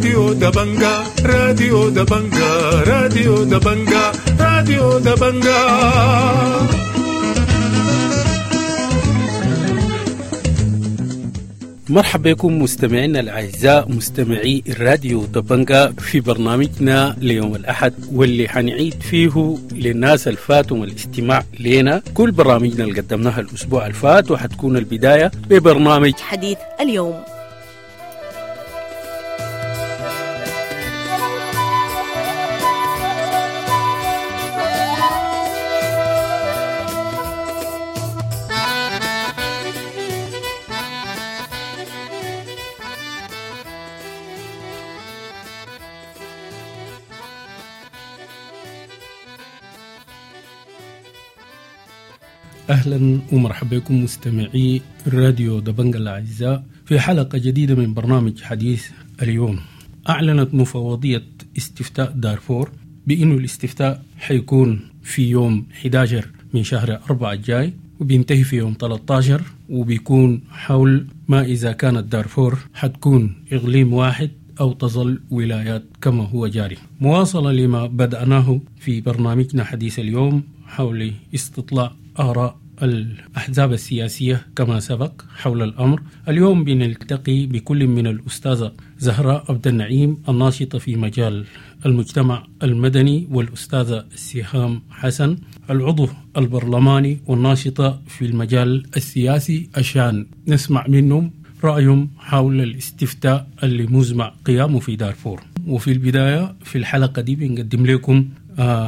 راديو دبنجا، راديو دبنجا، راديو دبنجا، راديو دبنجا. مرحبا بكم مستمعينا الأعزاء مستمعي الراديو دبنجا في برنامجنا ليوم الأحد، واللي حنعيد فيه للناس الفاتهم الاستماع لنا كل برامجنا اللي قدمناها الأسبوع الفات، وحتكون البداية ببرنامج حديث اليوم. أهلا ومرحبا بكم مستمعي الراديو دبنجا الأعزاء في حلقة جديدة من برنامج حديث اليوم. أعلنت مفوضية استفتاء دارفور بأنه الاستفتاء حيكون في يوم 11 من شهر 4 الجاي، وبينتهي في يوم 13، وبيكون حول ما إذا كانت دارفور حتكون إقليم واحد أو تظل ولايات كما هو جاري. مواصلة لما بدأناه في برنامجنا حديث اليوم حول استطلاع آراء الأحزاب السياسية كما سبق حول الأمر. اليوم بنلتقي بكل من الأستاذة زهراء عبد النعيم الناشطة في مجال المجتمع المدني، والأستاذة سهام حسن العضو البرلماني والناشطة في المجال السياسي، عشان نسمع منهم رأيهم حول الاستفتاء اللي مزمع قيامه في دارفور. وفي البداية في الحلقة دي بنقدم لكم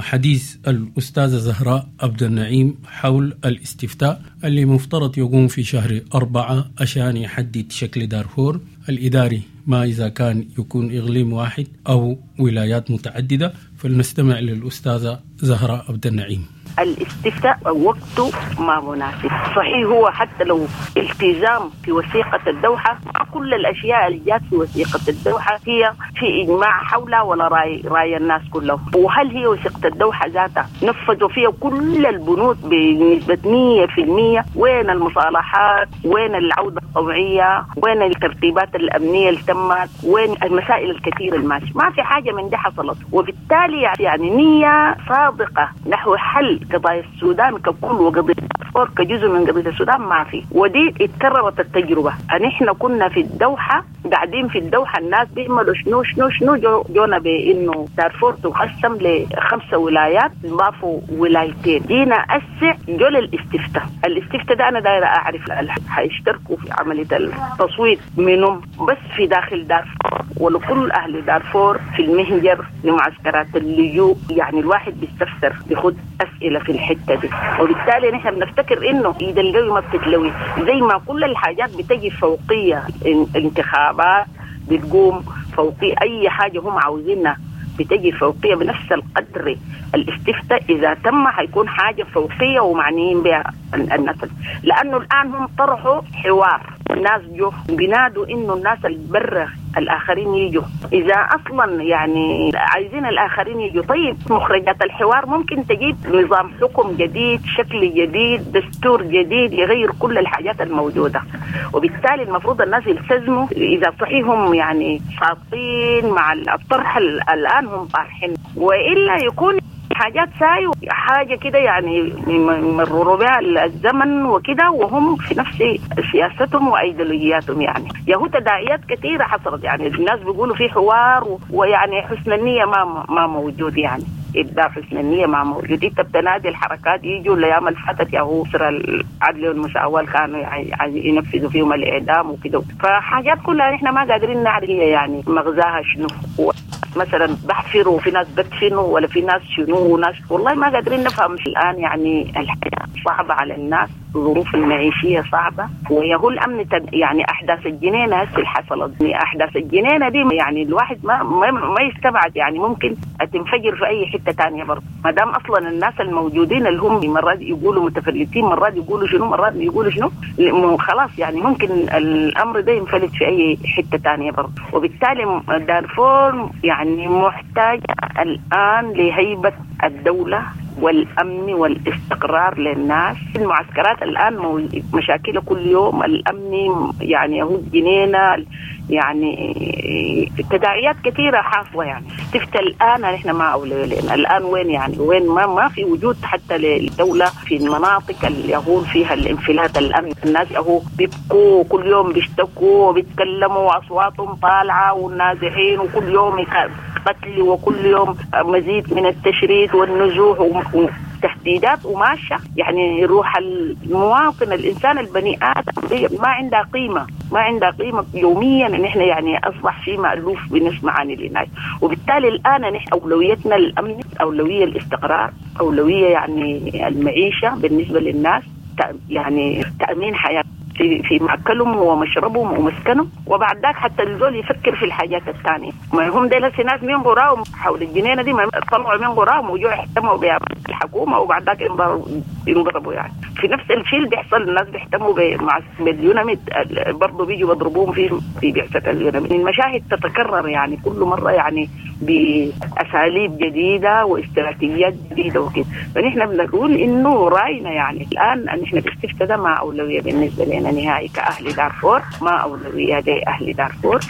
حديث الأستاذة زهراء عبد النعيم حول الاستفتاء اللي مفترض يقوم في شهر 4 عشان يحدد شكل دارفور الإداري، ما إذا كان يكون إقليم واحد أو ولايات متعددة. فلنستمع للأستاذة زهراء عبد النعيم. الاستفتاء وقته ما مناسب، صحيح هو حتى لو التزام في وثيقة الدوحة، مع كل الأشياء اللي جات في وثيقة الدوحة هي في إجماع حولها ولا رأي الناس كلهم. وهل هي وثيقة الدوحة ذاتها نفذوا فيها كل البنود بنسبة 100%؟ وين المصالحات؟ وين العودة الطوعية؟ وين الترتيبات الأمنية اللي تمت؟ وين المسائل الكثيرة الماشية؟ ما في حاجة من دي حصلت. وبالتالي يعني نية صادقة نحو حل قضايا السودان ككل وقضية دارفور كجزء من قضية السودان ما في. ودي اتكررت التجربة. نحن كنا في الدوحة قاعدين في الدوحة الناس بيعملوا شنو شنو شنو، جونا بإنه دارفور تقسم ل5 ولايات، ضافوا ولايتين. جينا أسع جول الاستفتاء. الاستفتاء ده أنا دايرة أعرف حيشتركوا في عملية التصويت منهم بس في داخل دارفور ولكل أهل دارفور في المهجر لمعسكرات اللجوء. يعني الواحد بيستفسر بيخد أسئلة في الحتة دي، وبالتالي نحن بنفتكر إنه إيد القوي ما بتتلوي، زي ما كل الحاجات بتجي فوقية، الانتخابات بتقوم فوقية، أي حاجة هم عاوزينها بتجي فوقية بنفس القدر. الاستفتاء إذا تم حيكون حاجة فوقية ومعنيين بها الناس، لأنه الآن هم طرحوا حوار، الناس جو بينادوا إنه الناس البرة الآخرين يجوا، إذا أصلا يعني عايزين الآخرين يجوا. طيب مخرجات الحوار ممكن تجيب نظام حكم جديد، شكل جديد، دستور جديد يغير كل الحاجات الموجودة. وبالتالي المفروض الناس يلتزموا إذا صحيهم يعني صادقين مع الطرح الآن هم طارحين، وإلا يكون حاجات ساي حاجة كده يعني يمرروا بها الزمن وكده، وهم في نفس سياستهم وأيديولوجياتهم. يعني يهو تداعيات كثيرة حصلت، يعني الناس بيقولوا في حوار ويعني حسن النية ما موجود، يعني إبداع حسن النية ما موجود. انت بتنادي الحركات يجوا الأيام اللي فاتت ياهو سر العدل والمساواة كانوا يعني ينفذوا فيهم الإعدام وكده، فحاجات كلها نحن ما قادرين نعرف هي يعني مغزاها شنو. مثلا بحفروا في ناس بدفنوا ولا في ناس شنو وناس، والله ما قادرين نفهم الآن. يعني الحياة صعبة على الناس، الظروف المعيشية صعبة، ويهو الأمن يعني أحداث الجنينة هسه اللي حصلت، يعني أحداث الجنينة دي يعني الواحد ما يستبعد يعني ممكن تنفجر في أي حتة تانية برضه، ما دام أصلا الناس الموجودين اللي هم مرات يقولوا متفلتين، مرات يقولوا شنو، مرات يقولوا شنو، خلاص يعني ممكن الأمر ده ينفلت في أي حتة تانية برضه. وبالتالي دارفور يعني محتاجة الآن لهيبة الدولة، والأمن والاستقرار للناس. المعسكرات الآن مشاكلها كل يوم، الأمن يعني هو جنينة، يعني تداعيات كثيرة حاصلة. يعني استفتاء الآن نحن ما أولوية لنا الآن، وين يعني وين ما في وجود حتى للدولة في المناطق اللي يهون فيها الانفلات الأمن. الناس هو بيبكوا كل يوم، بيشتكوا وبيتكلموا وأصواتهم طالعة، والنازحين وكل يوم قتل وكل يوم مزيد من التشريد والنزوح وتهديدات وماشية. يعني روح المواطن الإنسان البني آدم ما عندها قيمة، ما عندها قيمة يوميا. نحن يعني أصبح شيء مألوف بنسمع عن الناس، وبالتالي الآن نحن أولويتنا الأمن، أولوية الاستقرار، أولوية يعني المعيشة بالنسبة للناس، يعني تأمين حياة في مأكلهم ومشربهم ومسكنهم، وبعد ذاك حتى الزول يفكر في الحاجات الثانية. ما هم ديل ناس من قراهم حول الجنينة دي، ما طلعوا من قراهم وجوا يهتموا بها الحكومة، وبعد ذاك ينضربوا. يعني في نفس الشيء اللي بيحصل، الناس بيهتموا مع باليوناميد برضه، بيجوا بيضربوهم في بعثة اليوناميد. المشاهد تتكرر يعني كل مرة، يعني بأساليب جديدة واستراتيجيات جديدة وكده. فنحن بنقول إنه رأينا يعني الآن نحن الاستفتاء ده ما أولوية بالنسبة لنا نهائي كأهل دارفور، ما أولوية لأهل دارفور.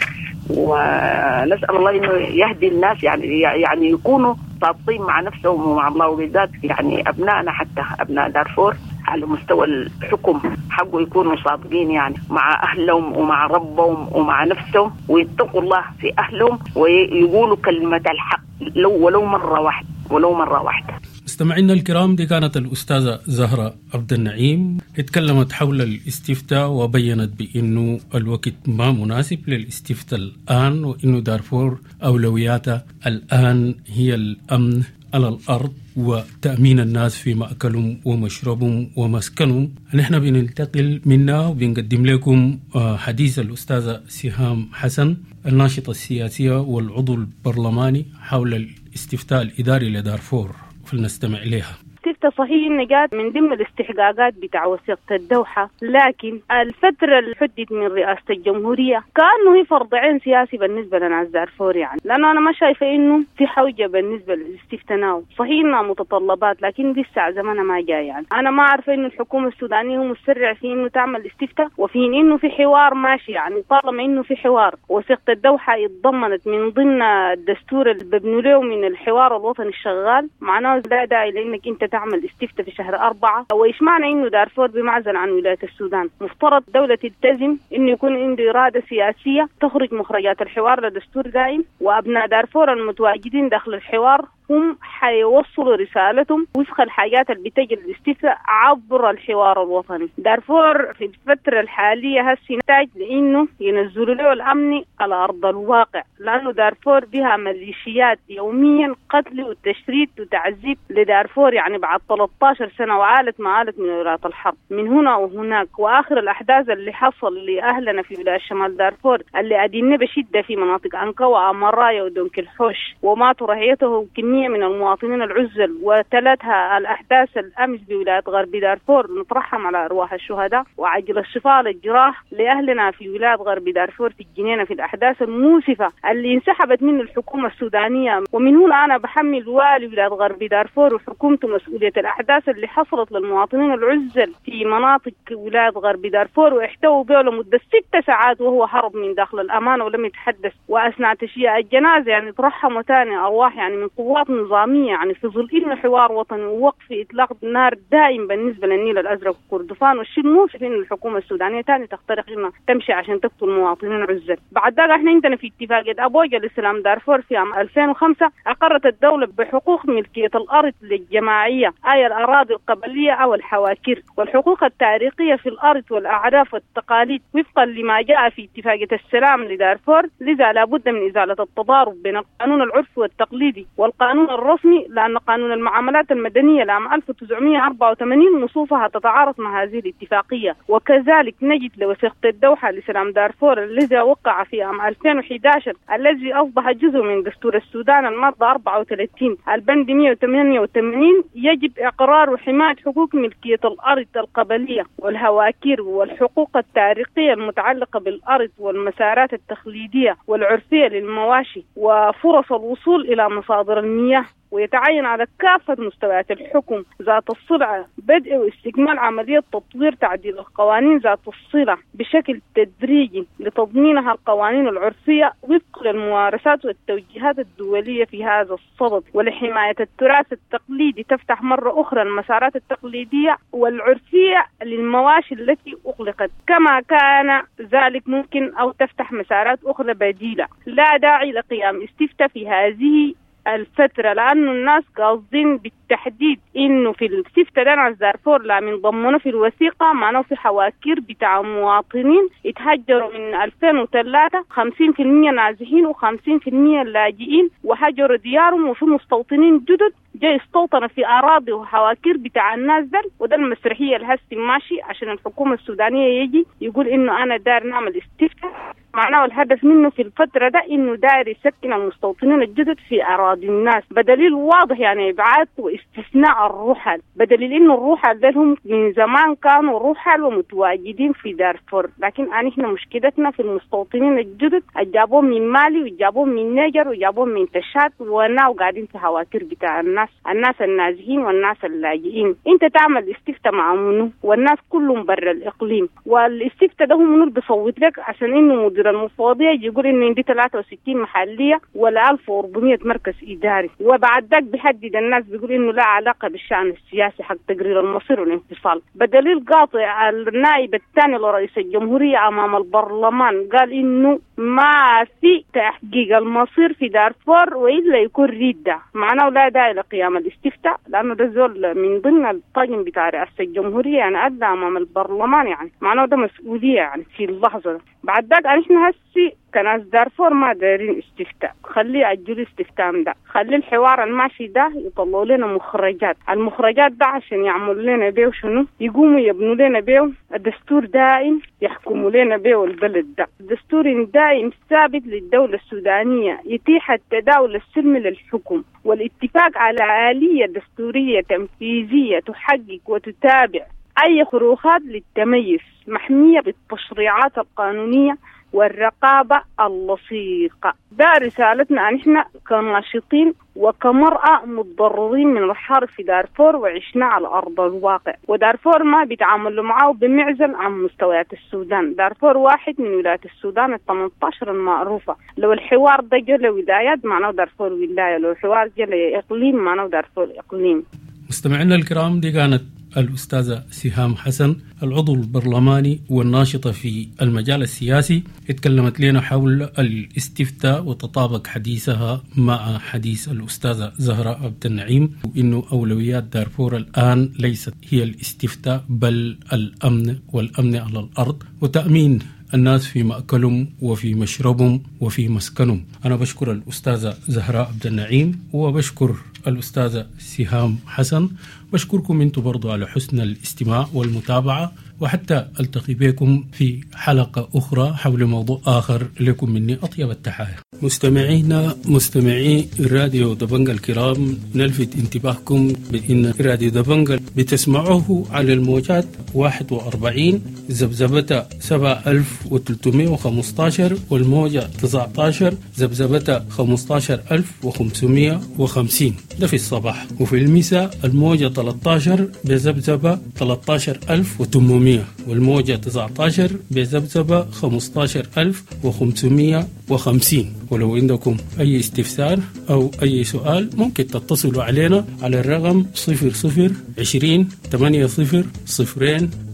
ونسأل الله إنه يهدي الناس، يعني يكونوا صادقين مع نفسهم ومع الله، وبالذات يعني أبنائنا حتى أبناء دارفور على مستوى الحكم حقه يكونوا صادقين يعني مع أهلهم ومع ربهم ومع نفسهم، ويتقوا الله في أهلهم ويقولوا كلمة الحق لو ولو مرة واحدة، ولو مرة واحدة. مستمعينا الكرام، دي كانت الأستاذة زهرة عبد النعيم، اتكلمت حول الاستفتاء وبينت بأنه الوقت ما مناسب للاستفتاء الآن، وأنه دارفور أولوياتها الآن هي الأمن على الأرض وتأمين الناس في مأكلهم ومشربهم ومسكنهم. نحن بننتقل منا وبنقدم لكم حديث الأستاذة سهام حسن الناشطة السياسية والعضو البرلماني حول الاستفتاء الإداري لدارفور، فلنستمع إليها. الاستفتاء صحيح إنه جات من ضمن الاستحقاقات بتاع وثيقة الدوحة، لكن الفترة اللي حدت من رئاسة الجمهورية كأنه هي فرض عين سياسي بالنسبة لناس دارفور، يعني لأنه أنا ما شايفة إنه في حوجة بالنسبة للاستفتاء now. صحيح إنها متطلبات لكن لسه زمانها ما جاي. يعني أنا ما عارفة إنه الحكومة السودانية هو مسرع في إنه تعمل استفتاء، وفي إنه في حوار ماشي. يعني طالما إنه في حوار، وثيقة الدوحة اتضمنت من ضمن الدستور اللي ببنوا له من الحوار الوطني الشغال، معناه لا داعي لإنك أنت تعمل استفتاء في شهر 4. وإيش معنى إنه دارفور بمعزل عن ولاية السودان؟ مفترض دولة تلتزم إنه يكون عنده إرادة سياسية تخرج مخرجات الحوار لدستور دائم، وأبناء دارفور المتواجدين داخل الحوار هم حيوصلوا رسالتهم وفق الحاجات اللي بتجي الاستفتاء عبر الحوار الوطني. دارفور في الفترة الحالية هسي نحتاج لإنه ينزلوا له الأمن على أرض الواقع، لأنه دارفور بها ميليشيات يوميا قتل وتشريد وتعذيب لدارفور، يعني بعد 13 سنة وعالت ما عالت من ولاية الحرب من هنا وهناك. وآخر الأحداث اللي حصل لأهلنا في ولاية شمال دارفور اللي أدينا بشدة في مناطق أنكا وأمرايا ودونك الحوش، وماتوا رعيته كمية من المواطنين العزل، وتلتها الأحداث الأمس بولاية غرب دارفور. نترحم على أرواح الشهداء وعجل الشفاء للجراح لأهلنا في ولاية غرب دارفور في الجنينة في الأحداث المؤسفة اللي انسحبت منه الحكومة السودانية. ومن هنا أنا بحمل والي ولاية غرب دارفور وحكومته مسؤولية الأحداث اللي حصلت للمواطنين العزل في مناطق ولاية غرب دارفور، واحتووا به لمدة 6 ساعات وهو هرب من داخل الأمانة ولم يتحدث. وأثناء تشييع الجنازة يعني ترحموا ثاني أرواح يعني من قوات نظامية، يعني في ظل إنه حوار وطني ووقف إطلاق النار دائم بالنسبة للنيل الأزرق وكردفان. والشيء المؤسف إنه الحكومة السودانية تاني تخترق إنها تمشي عشان تقتل مواطنين عزل. بعد ذلك إحنا عندنا في اتفاقية أبوجا لسلام دارفور في عام 2005 أقرت الدولة بحقوق ملكية الأرض للجماعية، أي الأراضي القبلية أو الحواكير، والحقوق التاريخية في الأرض والأعراف والتقاليد وفقا لما جاء في اتفاقية السلام لدارفور. لذا لابد من إزالة التضارب بين القانون العرفي والتقليدي والقانون الرسمي، لأن قانون المعاملات المدنية لعام 1984 نصوصها تتعارض مع هذه الاتفاقية. وكذلك نجد لوثيقة الدوحة لسلام دارفور الذي وقع في عام 2011 الذي أصبح جزء من دستور السودان المادة 34 البند 188 يجب إقرار وحماية حقوق ملكية الأرض القبلية والهواكير والحقوق التاريخية المتعلقة بالأرض والمسارات التقليدية والعرفية للمواشي وفرص الوصول إلى مصادر المياه. ويتعين على كافة مستويات الحكم ذات الصلة بدء واستكمال عملية تطوير تعديل القوانين ذات الصلة بشكل تدريجي لتضمينها القوانين العرفية وفق للممارسات والتوجيهات الدولية في هذا الصدد، ولحماية التراث التقليدي تفتح مرة أخرى المسارات التقليدية والعرفية للمواشي التي أغلقت كما كان ذلك ممكن، أو تفتح مسارات أخرى بديلة. لا داعي لقيام استفتاء في هذه الفترة، لأنه الناس قاصدين بالتحديد إنه في الاستفتاء ده ناس دارفور لا من ضمنوا في الوثيقة، معناه في حواكير بتاع مواطنين اتهجروا من 2003، 50% نازحين و50% لاجئين وهجروا ديارهم، وفي مستوطنين جدد جاي استوطن في أراضي وحواكير بتاع الناس ده. وده المسرحية الهسي ماشي عشان الحكومة السودانية يجي يقول إنه أنا دار نعمل استفتاء، معناه الهدف منه في الفترة ده إنه داير يسكن المستوطنين الجدد في أراضي الناس، بدليل واضح يعني إبعاد واستثناء الرحل، بدليل إنه الرحل ده هم من زمان كانوا رحل ومتواجدين في دارفور، لكن إحنا مشكلتنا في المستوطنين الجدد جابوهم من مالي وجابوهم من نيجر وجابوهم من تشاد وناو قاعدين في هواكير بتاع الناس، الناس النازحين والناس اللاجئين. أنت تعمل استفتاء مع منو والناس كلهم برا الإقليم، والاستفتاء ده هم منو بيصوت لك عشان إنه مدير المفوضية يقول إنه عندي 63 محلية ولا 1400 مركز إداري، وبعد ذاك بيحدد الناس بيقول إنه لا علاقة بالشأن السياسي حق تقرير المصير والانفصال. بدليل قاطع النائب الثاني لرئيس الجمهورية أمام البرلمان قال إنه ما في تحقيق المصير في دارفور وإلا يكون ردة، معناه لا داعي لقيام الاستفتاء، لأنه ده زول من ضمن الطاقم بتاع رئاسة الجمهورية يعني أدى أمام البرلمان، يعني معناه ده مسؤولية يعني في اللحظة ده. بعد ذاك احنا هسي كناس دارفور ما دايرين استفتاء، خليه يأجلوا استفتاء ده، خلي الحوار الماشي ده يطلعوا لنا مخرجات، المخرجات ده عشان يعملوا لنا بيه شنو؟ يقوموا يبنوا لنا بيه الدستور دائم يحكموا لنا بيه البلد ده، الدستور دائم ثابت للدولة السودانية يتيح التداول السلمي للحكم والاتفاق على آلية دستورية تنفيذية تحقق وتتابع أي خروقات للتميز محمية بالتشريعات القانونية والرقابة اللصيقة. ده رسالتنا نحن كناشطين وكمرأة متضررين من الحرب في دارفور وعشنا على أرض الواقع، ودارفور ما بيتعاملوا معه بمعزل عن مستويات السودان، دارفور واحد من ولايات السودان 18 المعروفة. لو الحوار ده جل ولايات معناه دارفور ولاية، لو الحوار جل إقليم معناه دارفور إقليم. مستمعينا الكرام، دي كانت الأستاذة سهام حسن العضو البرلماني والناشطة في المجال السياسي، اتكلمت لنا حول الاستفتاء وتطابق حديثها مع حديث الأستاذة زهراء عبد النعيم، وإنه أولويات دارفور الآن ليست هي الاستفتاء بل الأمن، والأمن على الأرض وتأمين الناس في مأكلهم وفي مشربهم وفي مسكنهم. أنا بشكر الأستاذة زهراء عبد النعيم وبشكر الأستاذة سهام حسن، بشكركم أنتم برضو على حسن الاستماع والمتابعة، وحتى ألتقي بكم في حلقة أخرى حول موضوع آخر. لكم مني أطيب التحايا. مستمعينا مستمعي راديو دبنجا الكرام، نلفت انتباهكم بأن راديو دبنجا بتسمعوه على الموجات 41 ذبذبة 7315 والموجة 19 ذبذبة 15550، ده في الصباح، وفي المساء الموجة 13 بذبذبة 13800 والموجة 19 بذبذبة 15550. ولو عندكم أي استفسار أو أي سؤال ممكن تتصلوا علينا على الرقم 00 20 80 0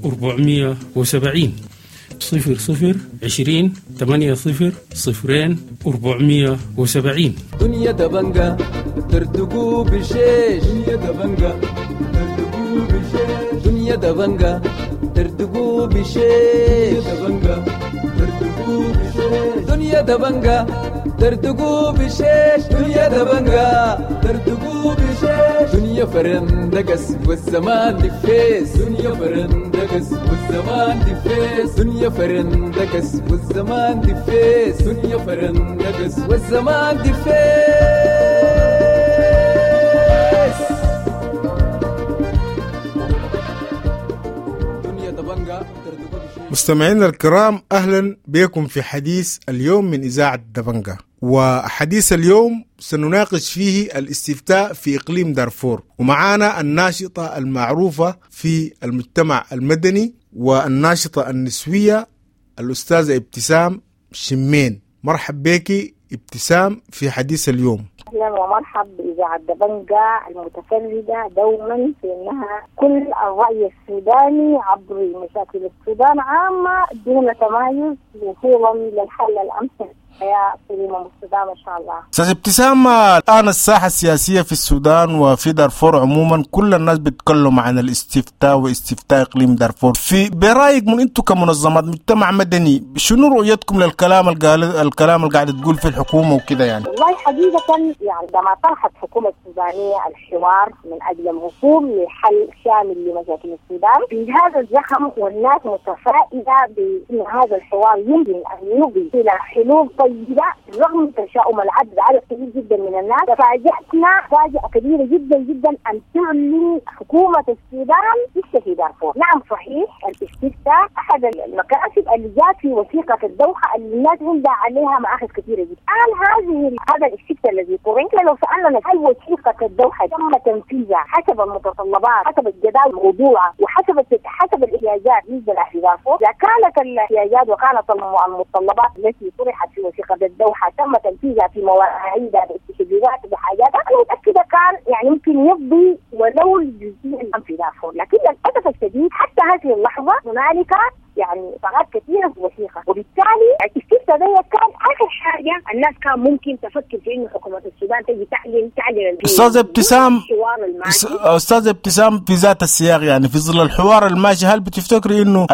470، 00 20 80 0 470. دنيا دبنجا تردقوا بالشيش، دنيا دبنجا تردقوا بالشيش، دنيا دبنجا تردقوا بالشيش، دبنجا تردقوا بالشيش، دنيا دبنجا تردقوا بالشيش، دنيا دبنجا تردقوا بالشيش، دنيا فرندقس والزمان دفيس، دنيا فرندقس والزمان دفيس، دنيا فرندقس والزمان دفيس، دنيا فرندقس والزمان دفيس. دنيا دبنجا. مستمعينا الكرام، أهلا بكم في حديث اليوم من إذاعة دبنجا. وحديث اليوم سنناقش فيه الاستفتاء في إقليم دارفور، ومعانا الناشطة المعروفة في المجتمع المدني والناشطة النسوية الأستاذة ابتسام شمين. مرحب بك ابتسام في حديث اليوم. اهلا ومرحب باذاعة دبنجا المتفردة دوما في انها كل الراي السوداني عبر مشاكل السودان عامة دون تمايز وصولا للحل الامثل حياة سليمة مستدامة ان شاء الله. استاذ ابتسام، الان الساحة السياسية في السودان وفي دارفور عموما كل الناس بيتكلموا عن الاستفتاء واستفتاء اقليم دارفور، في برايك من انتم كمنظمات مجتمع مدني شنو رؤيتكم للكلام الكلام اللي قاعدة تقول في الحكومة وكده يعني؟ والله حقيقة يعني عندما طرحت الحكومة السودانية الحوار من اجل الوصول لحل شامل لمشاكل السودان في هذا الزخم، والناس متفائلة بان هذا الحوار يمكن ان يفضي الى حلول طيبة رغم تشاؤم العدد عدد كبير جدا من الناس. تفاجأتنا مفاجأة كبيرة جدا جدا أن تعلن حكومة السودان لسه في دارفور. نعم صحيح الاستفتاء أحد المكاسب اللي جات في وثيقة الدوحة اللي الناس عندها عليها مآخذ كثيرة جدا. الآن هذا الاستفتاء الذي طرح، لو سألنا هل وثيقة الدوحة تم تنفيذها حسب المتطلبات، حسب الجداول الموضوعة، وحسب حسب الاحتياجات بالنسبة لأهل دارفور، إذا كانت الاحتياجات وكانت المتطلبات التي طرحت في وثيقة الدوحة تم تنفيذها في مواعيدها باستجوابات بحاجاتها، أنا متأكدة كان يعني ممكن يفضي ولو الجزئية في دارفور. لكن للأسف الشديد حتى هذه اللحظة هنالك يعني ثغرات كثيرة في الوثيقة، وبالتالي الاستفتاء ده كان آخر حاجة الناس كان ممكن تفكر في إنه حكومة السودان تجي تعلن. أستاذ ابتسام، أستاذ ابتسام، في ذات السياق يعني في ظل الحوار الماشي، هل بتفتكري إنه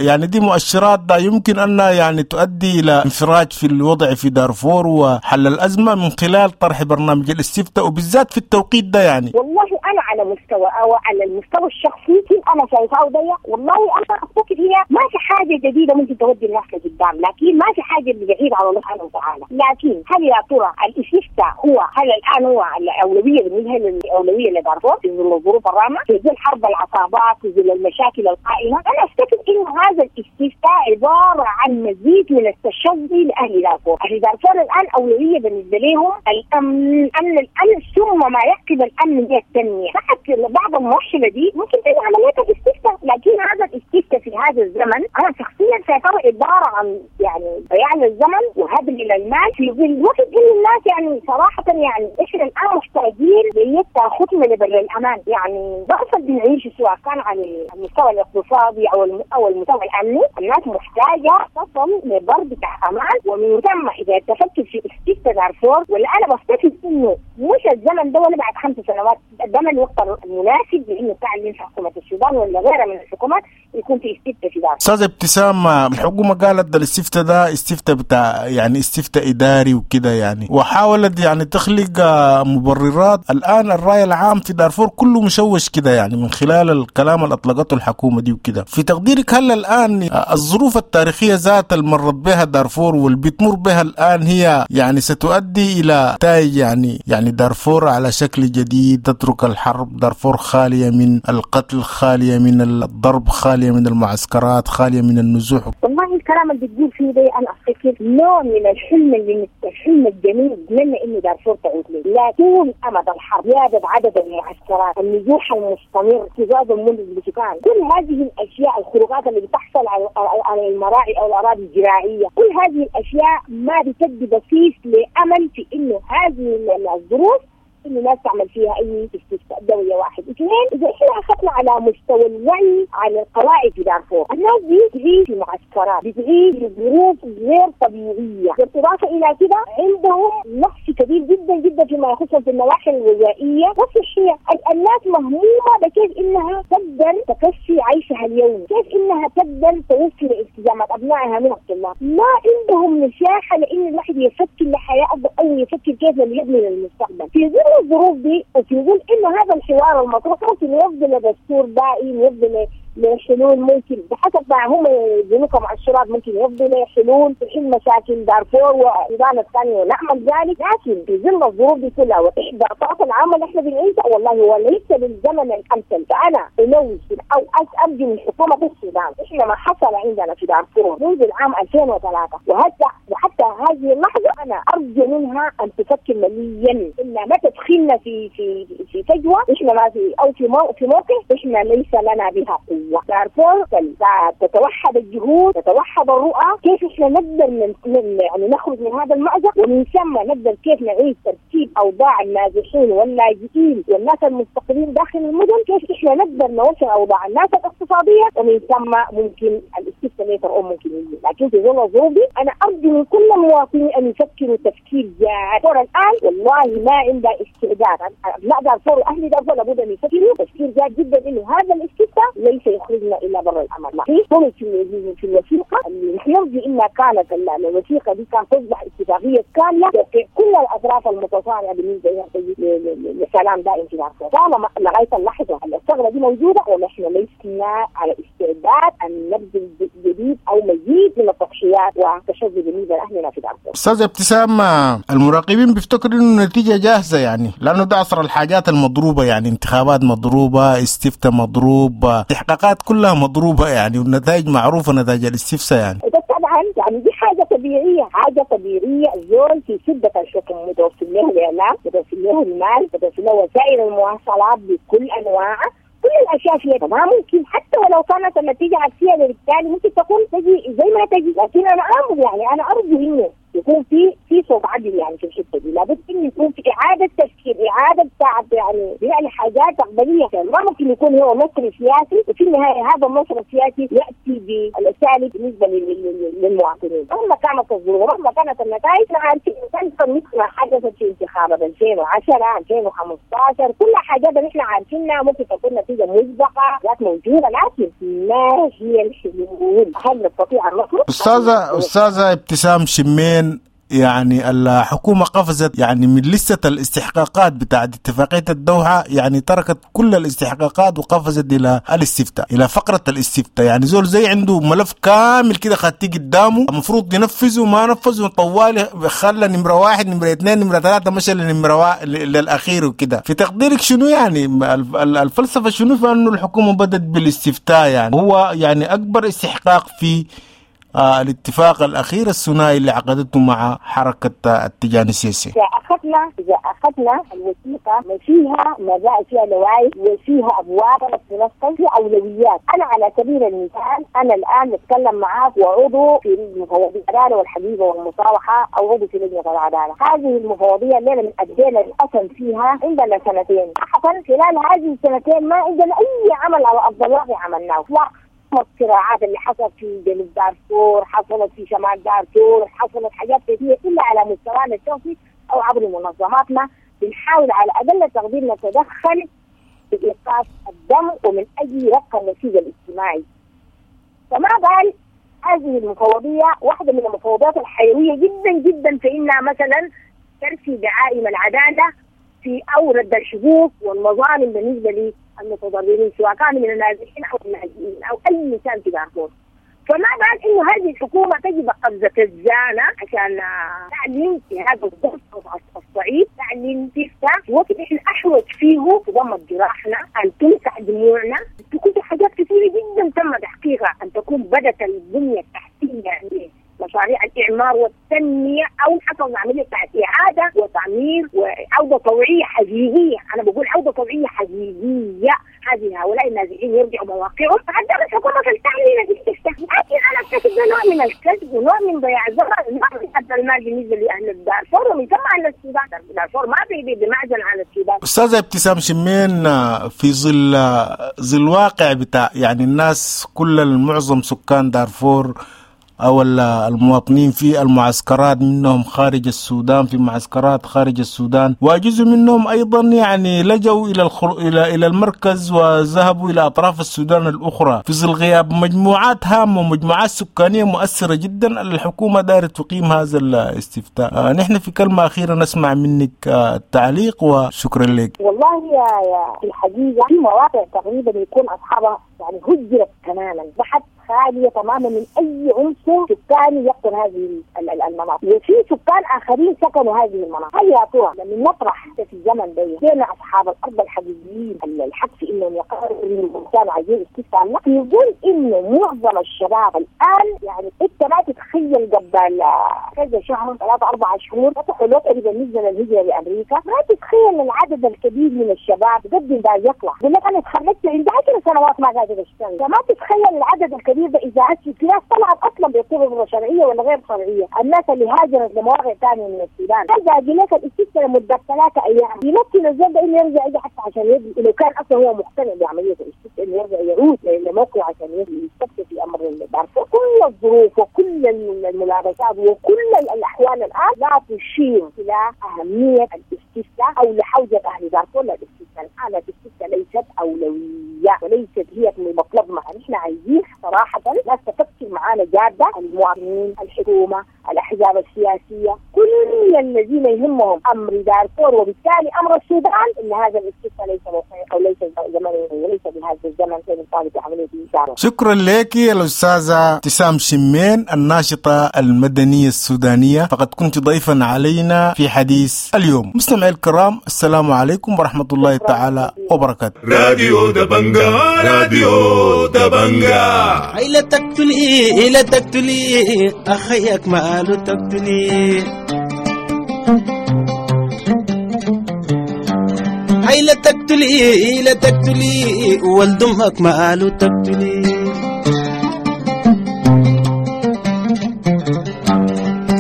يعني دي مؤشرات ده يمكن أن يعني تؤدي إلى انفراج في الوضع في دارفور وحل الأزمة من خلال طرح برنامج الاستفتاء وبالذات في التوقيت ده يعني؟ والله أنا على مستوى أو على المستوى الشخصي كيف أنا شايفاه ده، والله أنا أفتكر هي ما في حاجة جديدة ممكن تودي الناس لقدام، لكن ما في حاجة بعيدة على الله سبحانه وتعالى. لكن هل يا ترى الاستفتاء هو هل الآن هو الأولوية بالنسبة للأولوية لدارفور في ظل الظروف الرامة، في ظل حرب العصابات، في ظل المشاكل القائمة؟ أنا أفتكر إنه هذا الاستفتاء عبارة عن مزيد من التشظي لأهل دارفور. أهل دارفور الآن أولوية بالنسبة لهم الأمن، أمن الأمن، ثم ما يعقب الأمن هي التنمية. بعض المؤشرة دي ممكن تجي عملية الاستفتاء، لكن هذا الاستفتاء في هذا الزمن أنا شخصيا شايفاه عبارة عن يعني ضياع للزمن وهدر للمال في الوقت اللي الناس يعني صراحة يعني إحنا الآن محتاجين لتاخذنا لبر الأمان. يعني ضعف اللي بنعيشه سواء كان على المستوى الاقتصادي أو المستوى الأمني، الناس محتاجة تصل لبر بتاع أمان. ومن ثم إذا تفكر في استفتاء دارفور، ولا أنا بفتكر إنه مش الزمن ده ولا بعد 5 سنوات، ده الوقت المناسب لإنه تعلن حكومة السودان ولا غيرها من الحكومات يكون في استفتاء في دارفور. أستاذ ابتسام، الحكومة قالت ده الاستفتاء ده استفتاء بتاع يعني استفتاء إداري وكده يعني، وحاولت يعني تخلق مبررات. الآن الرأي العام في دارفور كله مشوش كده يعني من خلال الكلام اللي أطلقته الحكومة دي وكده. في تقديرك هل الآن الظروف التاريخية ذات اللي مرت بها دارفور واللي بتمر بها الآن هي يعني ستؤدي إلى نتائج يعني دارفور على شكل جديد، تترك الحرب، دارفور خالية من القتل، خالية من الضرب، خالية من المعسكرات، خالية من النزوح؟ والله الكلام اللي بتقول فيه ده أنا أفتكر نوع من الحلم اللي الحلم الجميل أتمنى إنه دارفور تعود له. لا طول أمد الحرب، زيادة عدد المعسكرات، النزوح المستمر، اكتظاظ المدن بالسكان، كل هذه الأشياء، الخروقات اللي بتحصل على المراعي أو الأراضي الزراعية، كل هذه الأشياء ما بتدي بصيص لأمل في إنه هذه الظروف إنه الناس تعمل فيها أي استفتاء دولية. واحد، اثنين، إذا إحنا أخذنا على مستوى الوعي على القواعد في دارفور، الناس دي بتعيش في معسكرات، بتعيش في ظروف غير طبيعية، بالإضافة إلى كده عندهم نقص كبير جدا جدا فيما يخص في النواحي الغذائية والصحية. الناس مهمومة بكيف إنها تقدر تكفي عيشها اليومي، كيف إنها تقدر توفر التزامات أبنائها من الطلاب، ما عندهم مساحة لإن الواحد يفكر لحياة أفضل أو يفكر كيف يبني للمستقبل. في ظل الظروف دي وفي ظل انه هذا الحوار المطروح ممكن يفضل دستور دائم، يفضل لحلول، ممكن بحسب ما هم يدينوا كمؤشرات ممكن يفضوا لحلول تحل مشاكل دارفور والسودان الثاني ونعمل ذلك. لكن في ظل الظروف دي كلها واحباطات العامة اللي احنا بنعيشها والله هو ليس بالزمن الامثل. فانا انوه او ارجو من حكومة السودان، احنا ما حصل عندنا في دارفور منذ العام 2003 وحتى هذه اللحظة انا ارجو منها ان تفكر مليا ان ما تدخلنا في في في فجوة احنا ما في او في موقف احنا ليس لنا بها قوة. دارفور تتوحد الجهود، تتوحد الرؤى، كيف احنا نقدر يعني نخرج من هذا المأزق، ومن ثم نقدر كيف نعيد ترتيب اوضاع النازحين واللاجئين والناس المستقرين داخل المدن، كيف احنا نقدر نوفر اوضاع الناس الاقتصادية، ومن ثم ممكن الاستفتاء later ممكن يجي. لكن في ظل الظروف دي انا ارجو من كل المواطنين ان يفكروا تفكير جاد. دارفور الان والله ما عندها استعداد، ابناء دارفور واهل دارفور لابد ان يفكروا تفكير جاد جدا انه هذا الاستفتاء ليس يخرجنا الا بر الامان. في طرق في الوثيقة اللي نحن نرجو انها كانت الوثيقة دي كانت تصبح اتفاقية كاملة كل الاطراف المتصارعه بالنسبة لها لسلام دائم في دارفور. طالما لغاية اللحظة الثغرة دي موجودة ونحن لسنا على استعداد ان نبذل جديد او مزيد من التضحيات والتشظي بالنسبة لاهلنا في دارفور. استاذ ابتسام، المراقبين بيفتكروا انه النتيجة جاهزة يعني، لانه ده عصر الحاجات المضروبه، يعني انتخابات مضروبة، استفتاء مضروب، استحقاقات كلها مضروبة يعني، والنتائج معروفة، نتائج الاستفتاء يعني. طبعا يعني دي حاجة طبيعية، حاجة طبيعية. الزول في سده الحكم متوفر له الاعلام، متوفر له المال، متوفر له وسائل المواصلات بكل انواعها، كل الاشياء فيها. ما ممكن حتى ولو كانت النتيجة عكسية بالتالي ممكن تكون تجي زي ما تجي، لكن انا امر يعني انا ارجو انه يكون في صوت عدل يعني في الحتة دي، لابد انه يكون في اعاده تفكير، اعاده بتاعت يعني حاجات تقبليه. ما ممكن يكون هو مصري سياسي وفي النهاية هذا النصر السياسي ياتي بالسالب بالنسبة للمواطنين، مهما كانت الظروف مهما كانت النتائج. احنا عارفين مثل ما حدثت في انتخابات 2010 2015 كل حاجات نحن عارفينها ممكن تكون نتيجة مسبقة ذات موجودة، لكن ما هي الحلول؟ هل نستطيع ان نخرج؟ استاذه ابتسام شمين، يعني الحكومة قفزت يعني من لستة الاستحقاقات بتاعت اتفاقية الدوحة، يعني تركت كل الاستحقاقات وقفزت إلى الاستفتاء، إلى فقرة الاستفتاء. يعني زول زي عنده ملف كامل كده خدتيه قدامه المفروض ينفذه، ما نفذه طوالي، خلى نمرة 1 نمرة 2 نمرة 3 مشى لنمرة للأخير وكده. في تقديرك شنو يعني الفلسفة شنو في أنه الحكومة بدأت بالاستفتاء؟ يعني هو يعني أكبر استحقاق في الاتفاق الأخير الثنائي اللي عقدته مع حركة التجاني السياسي. إذا أخذنا الوثيقة ما فيها مبادئ، فيها لوائح وفيها أبواب تنفذ، في أولويات. أنا على سبيل المثال أنا الآن بتكلم معاك وعضو في مفوضية العدالة والحبيبة والمصالحة أو عضو في لجنة العدالة. هذه المفوضية الليلة من أدينا الأسم فيها عندنا سنتين، حصل خلال هذه السنتين ما عندنا أي عمل على أرض الواقع عملناه. الصراعات اللي حصلت في جنوب دارفور، حصلت في شمال دارفور، حصلت حاجات كثيرة إلا على مستوانا الشخصي أو عبر منظماتنا بنحاول على أقل تقدير نتدخل في إيقاف الدم ومن أجل رفع النسيج الاجتماعي. فما بال هذه المفوضية واحدة من المفوضيات الحيوية جدا جدا في إنها مثلا ترسي دعائم العدالة في أورد الحقوق والمظالم بالنسبة للمتضررين سواء كانوا من النازحين أو اللاجئين أو أي إنسان في دارفور. فما بال إنه هذه الحكومة تجب قفزة الزانة عشان تعلن في هذا الظرف الصعيب، تعلن تفتح وقت إحنا أحوج فيه تضمد جراحنا، أن تمسح دموعنا، تكون في حاجات كثيرة جدا تم تحقيقها، أن تكون بدت البنية التحتية يعني مشاريع الإعمار والتنمية أو حصل عملية إعادة وتعمير وعودة طوعية حقيقية. أنا بقول عودة طوعية حقيقية، هذه هؤلاء النازحين يرجعوا مواقعهم. حتى الحكومة تعلن الاستفتاء، لكن أنا أفتكر ده نوع من الكذب ونوع من ضياع الزمن، نوع من حتى المال بالنسبة لأهل دارفور ومن ثم أهل السودان. دارفور ما بمعزل عن السودان. أستاذة ابتسام شمين، في ظل واقع بتاع يعني الناس كل المعظم سكان دارفور أو المواطنين في المعسكرات، منهم خارج السودان في معسكرات خارج السودان، وجزء منهم أيضا يعني لجوا إلى المركز وذهبوا إلى أطراف السودان الأخرى في ظل غياب مجموعات هامة ومجموعات سكانية مؤثرة جدا. الحكومة دارت تقيم هذا الاستفتاء. نحن في كلمة أخيرة نسمع منك التعليق وشكرا لك. والله يا في الحقيقة في مواقع تقريبا يكون أصحابها يعني هجرت تماما، بحث خالية تماما من أي عنصر سكاني يقطن هذه المناطق، وفي سكان آخرين سكنوا هذه المناطق. هل يا ترى لما نطرح في الزمن ده بين أصحاب الأرض الحقيقيين الحق في إنهم يقرروا كانوا عايزين استفتاء؟ يقول إنه معظم الشباب الآن يعني أنت ما تتخيل قبل كذا شهر 3-4 شهور فتحوا لوتري بالنسبة للهجرة لأمريكا، ما تتخيل العدد الكبير من الشباب قدم ده يطلع يقول لك أنا اتخرجت عندي 10 سنوات ما قادر أشتغل. فما تتخيل العدد الكبير ده إذا في ناس طلعت أصلا بطرق شرعية ولا غير شرعية، الناس اللي هاجرت لمواقع ثانية من السودان. هل باقي لك الاستفتاء لمدة 3 أيام يمكن الزول ده إنه يرجع يجي حتى عشان يدري لو كان أصلا هو مقتنع بعملية الاستفتاء إنه يرجع يعود لموقعه عشان يستفتي في أمر دارفور. كل الظروف وكل الملابسات وكل الأحوال الآن لا تشير إلى أهمية الاستفتاء أو لحوجة أهل دارفور للاستفتاء. الآن الاستفتاء ليست أولوية وليست هي مطلبنا. نحن عايزين صراحة ناس تفكر معانا جادة، المواطنين، الحكومة، الأحزاب السياسية، كل الذين يهمهم أمر دارفور وبالتالي أمر السودان، إن هذا الاستفتاء ليس موقعي أو ليس زمني وليس بهذا الزمن سنطالب بعملية إنشاء. شكرا لك الأستاذة ابتسام شمين الناشطة المدنية السودانية، فقد كنت ضيفا علينا في حديث اليوم. مستمعي الكرام، السلام عليكم ورحمة الله تعالى وبركاته. راديو دبنجا، راديو دبنجا. لا تقتلي لا تقتلي أخيك ماله تقتلي، هاي لا تقتلي لا تقتلي ولد أمك ماله تقتلي،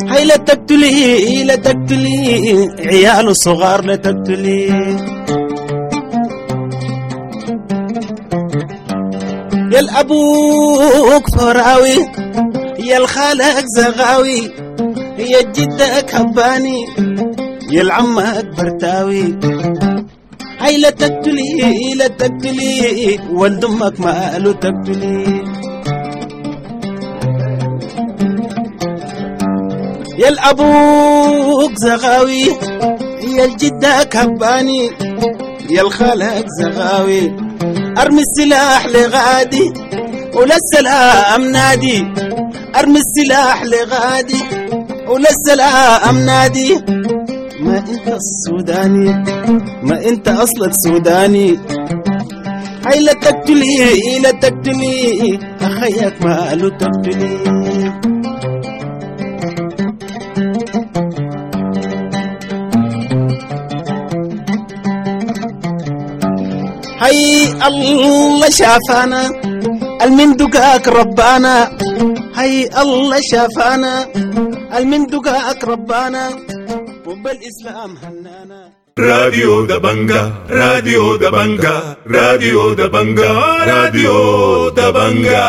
هاي لا تقتلي لا تقتلي عياله صغار لا تقتلي، يا الأبوك فراوي يا الخالك زغاوي يا جدك هباني يا العمك برتاوي، هاي لا تقتلي لا تقتلي ولد أمك ماله تقتلي، يا الأبوك زغاوي يا الجدك هباني يا الخالك زغاوي، ارمي السلاح لغادي ولا السلام نادي، ارمي السلاح لغادي ولا السلام نادي، ما انت السوداني ما انت اصلك سوداني، هاي لا تقتلي لا تقتلي اخيك ماله تقتلي. هاي الله شافانا المندقاك ربانا، هاي الله شافانا المندقاك ربانا وبالإسلام هنانا. راديو دبنجا، راديو دبنجا، راديو دبنجا، راديو دبنجا.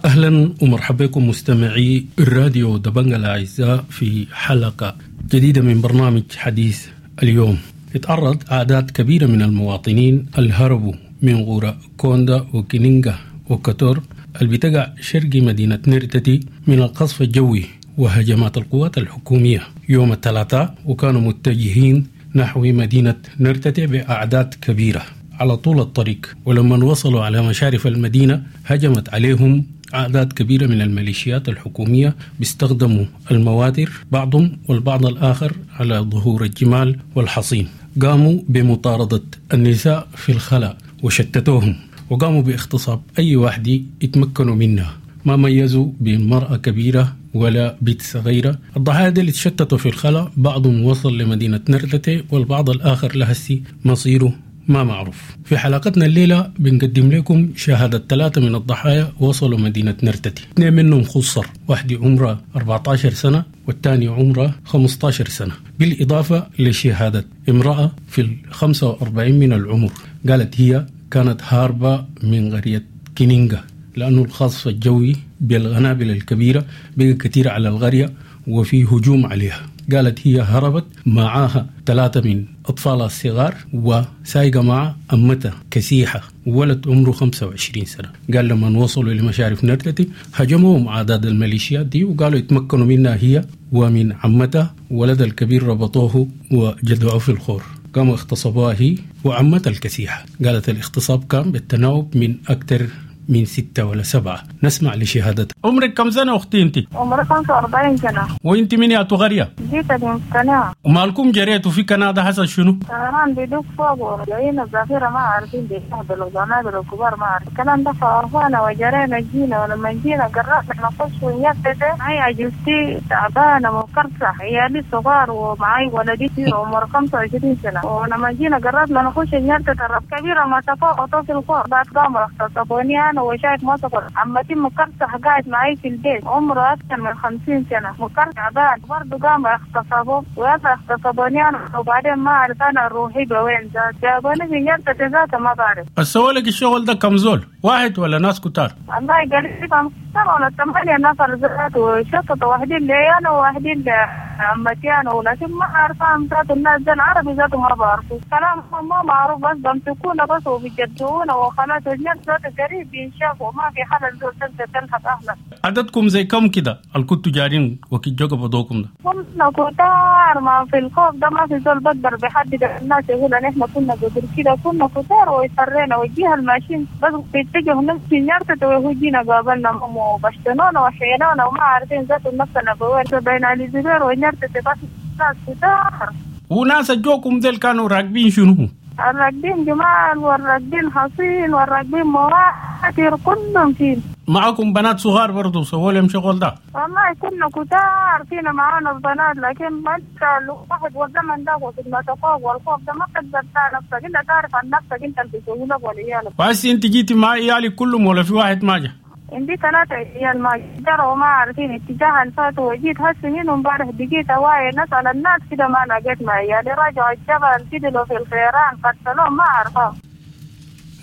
أهلا ومرحبا بكم مستمعي الراديو دبنجا الأعزاء في حلقة جديدة من برنامج حديث اليوم. اتعرض أعداد كبيرة من المواطنين الهربوا من غورا كوندا وكينينغا وكتور اللي بتقع شرق مدينة نيرتتي من القصف الجوي وهجمات القوات الحكومية يوم الثلاثاء، وكانوا متجهين نحو مدينة نيرتتي بأعداد كبيرة على طول الطريق. ولما وصلوا على مشارف المدينة هجمت عليهم أعداد كبيرة من الميليشيات الحكومية، بيستخدموا المواتر بعضهم والبعض الآخر على ظهور الجمال والحصين. قاموا بمطاردة النساء في الخلاء وشتتوهم، وقاموا باغتصاب أي واحدة يتمكنوا منها، ما ميزوا بين مرأة كبيرة ولا بيت صغيرة. الضحايا اللي تشتتوا في الخلاء بعضهم وصل لمدينة نرتتي والبعض الآخر لهسي مصيره ما معروف. في حلقتنا الليلة بنقدم لكم شهادة 3 من الضحايا وصلوا مدينة نرتتي، 2 منهم خصر، واحد عمره 14 سنة والثاني عمره 15 سنة، بالإضافة لشهادة امرأة في 45 من العمر قالت هي كانت هاربة من قرية كينينغا لأنه القصف الجوي بالقنابل الكبيرة بقى كثير على القرية وفي هجوم عليها. قالت هي هربت معاها 3 من أطفالها الصغار وسايقة مع أمتها كسيحة ولد عمره 25 سنة. قال لما وصلوا لمشارف نرتتي هجموهم أعداد الميليشيات دي وقالوا يتمكنوا منها هي ومن عمتها، ولد الكبير ربطوه وجدعوه في الخور، قاموا اغتصبوها هي وعمتها الكسيحة. قالت الاغتصاب كان بالتناوب من أكثر من 6 ولا 7. نسمع لشهادتها. عمرك كم سنة أختي أنت؟ عمري 45 سنة. وأنت من يا تغرية؟ جيت من كندا. ومالكم جريتوا في كندا حصل شنو؟ طيران بيدوك فوق وجايين الذخيرة ما عارفين بيستهبلوا قنابل الكبار ما عارفين الكلام ده، فعرفانا وجرينا جينا، ولما جينا قررنا نخش ونيفت. معي عجوزتي تعبانة مكرسة، عيالي صغار ومعي ولدي عمره 25 سنة، ولما جينا قررنا نخش نيفت الرب كبيرة ما تفوق في الخور بعد قاموا اغتصبوني أنا وشايف ما صبر. عمتي مكرسة قاعد معي في البيت عمره أكثر من 50 سنة مكرسة تعبان برضه قاموا اغتصبوه ويلا اغتصبوني أنا، وبعدين ما أعرف أنا روحي بوين ذات جابوني في نيرتة ذاته ما بعرف. السوالك الشغل ده كم زول؟ واحد ولا ناس كتار؟ الله قريبا 7 ولا 8 نفر ذات وشطط واحدين لي أنا وواحدين لعمتي أنا، ولكن ما أعرف ذات الناس ده العربي ذاته ما بعرفه كلام ما معروف، بس بمسكونا بس وبيجدونا وخلاص الناس ذاته قريب بينشافوا ما في حدا زول تقدر تلحق أهلك. عددكم زي كم كده الكنتوا جارين وكي جوجا بدوكم ده؟ كنا كتار، ما في الخوف ده ما في زول بقدر بحدد الناس يقول ان احنا كنا قدر كده، كنا كتار ويفرينا وجيها الماشين بس بيتجهوا نفس نيرتة وهو جينا قابلنا وبشتنونا وحينونا وما عارفين ذات نفسنا بوين بين علي زبير ونيرتة بس ناس كتار. وناس جوكم ديل كانوا راكبين شنو؟ الراكبين جمال والراكبين حصين والراكبين مواتر كلهم فين. معكم بنات صغار برضو سووا لهم شغل ده؟ والله كنا كتار فينا معانا البنات، لكن ما انت الواحد والزمن ده وخدمة والخوف ده ما تقدر نفسك انت تعرف عن نفسك انت اللي بيسوي لك وليالك. وهسي انت جيتي مع عيالك كلهم ولا في واحد ما جا؟ عندي 3 عيال ما جروا وما عارفين اتجاه الفات، وجيت هسه من امبارح بقيت واعي نسأل الناس كده ما لقيت مع عيالي، راجعوا الجبل فضلوا في الخيران قتلوهم ما عرفوا.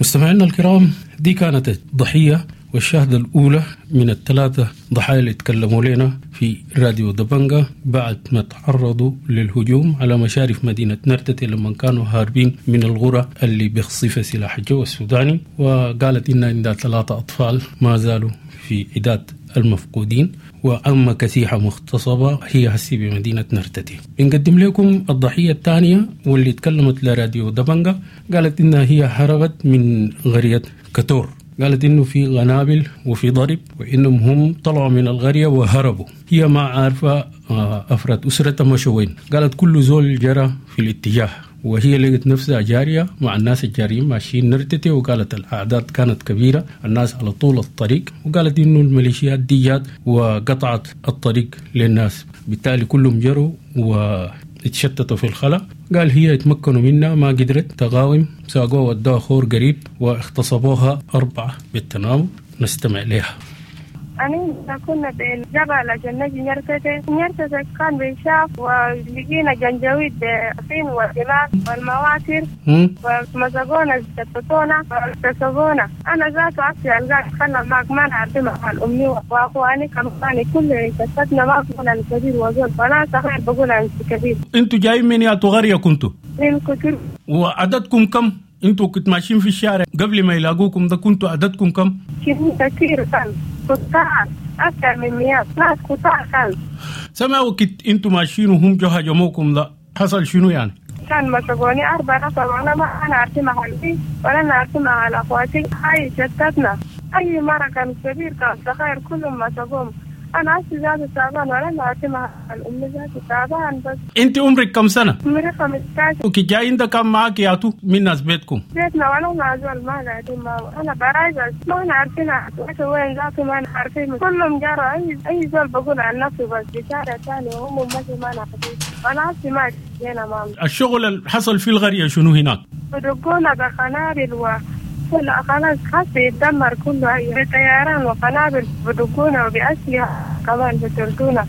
مستمعينا الكرام، دي كانت الضحية والشهادة الأولى من ال3 ضحايا اللي تكلموا لنا في راديو دبنجة بعد ما تعرضوا للهجوم على مشارف مدينة نرتتي لما كانوا هاربين من الغرة اللي بيخصف سلاح الجو السوداني. وقالت إن عندها 3 أطفال ما زالوا في عداد المفقودين، وأما كسيحة مغتصبة هي هسي بمدينة نرتتي. بنقدم لكم الضحية الثانية واللي تكلمت لراديو دبنجة، قالت إنها هي هربت من قرية كتور. قالت إنه في قنابل وفي ضرب وإنهم هم طلعوا من القرية وهربوا، هي ما عارفة أفراد أسرتها مشوا وين. قالت كل زول جرى في الاتجاه وهي لقت نفسها جارية مع الناس الجاريين ماشيين نرتتي، وقالت الأعداد كانت كبيرة الناس على طول الطريق، وقالت إنه الميليشيات دي جات وقطعت الطريق للناس، بالتالي كلهم جروا واتشتتوا في الخلا. قال هي اتمكنوا منها ما قدرت تقاوم، ساقوها ودوها خور قريب واغتصبوها 4 بالتناوب. نستمع لها. أنا كنا بالجبل عشان نجي نرتتي، نرتتي كان بنشاف ولقينا جنجويد بالصين والجمال والمواتر ومزقونا شتتونا واغتصبونا. أنا ذات عصي ألقاك خلنا معك ما نعرف مع الأمي وأخواني كمان كل شتتنا ما بقول عن كبير وزول فلا صغير بقول عن كبير. أنتوا جايين من يا تغرية كنتوا؟ من كتير. وعددكم كم؟ أنتوا كنت ماشيين في الشارع قبل ما يلاقوكم ده كنتوا عددكم كم؟ كتير كان كتار أكثر من 100 ناس كتار كان. سمعوا كنت أنتوا ماشيين وهم جو هجموكم ده حصل شنو يعني؟ كان مسكوني 4 نفر وأنا ما أنا عارفة مع أهلي ولا أنا عارفة مع أخواتي، هاي شتتنا أي مرة كان كبير كان صغير كلهم مسكوهم. أنا عشت ذات تعبان ولا أنا عارفة مع الأم ذات تعبان بس. أنت عمرك كم سنة؟ عمري 15. وكي جايين ده كان معاك يا تو من ناس بيتكم؟ بيتنا ولا مع زول ما قاعدين ما أنا براجع ما أنا عارفين وين ذاته ما أنا عارفين كلهم جروا أي زول بقول عن نفسي بس بشارع ثاني وهم ماشي ما أنا عارفين. أنا عارفة ما جينا ماما. الشغل اللي حصل في القرية شنو هناك؟ بدقونا بقنابل و كل خلاص حاسة يتدمر كله، أي طيران وقنابل بدقونا وبأسلحة كمان بتردونا.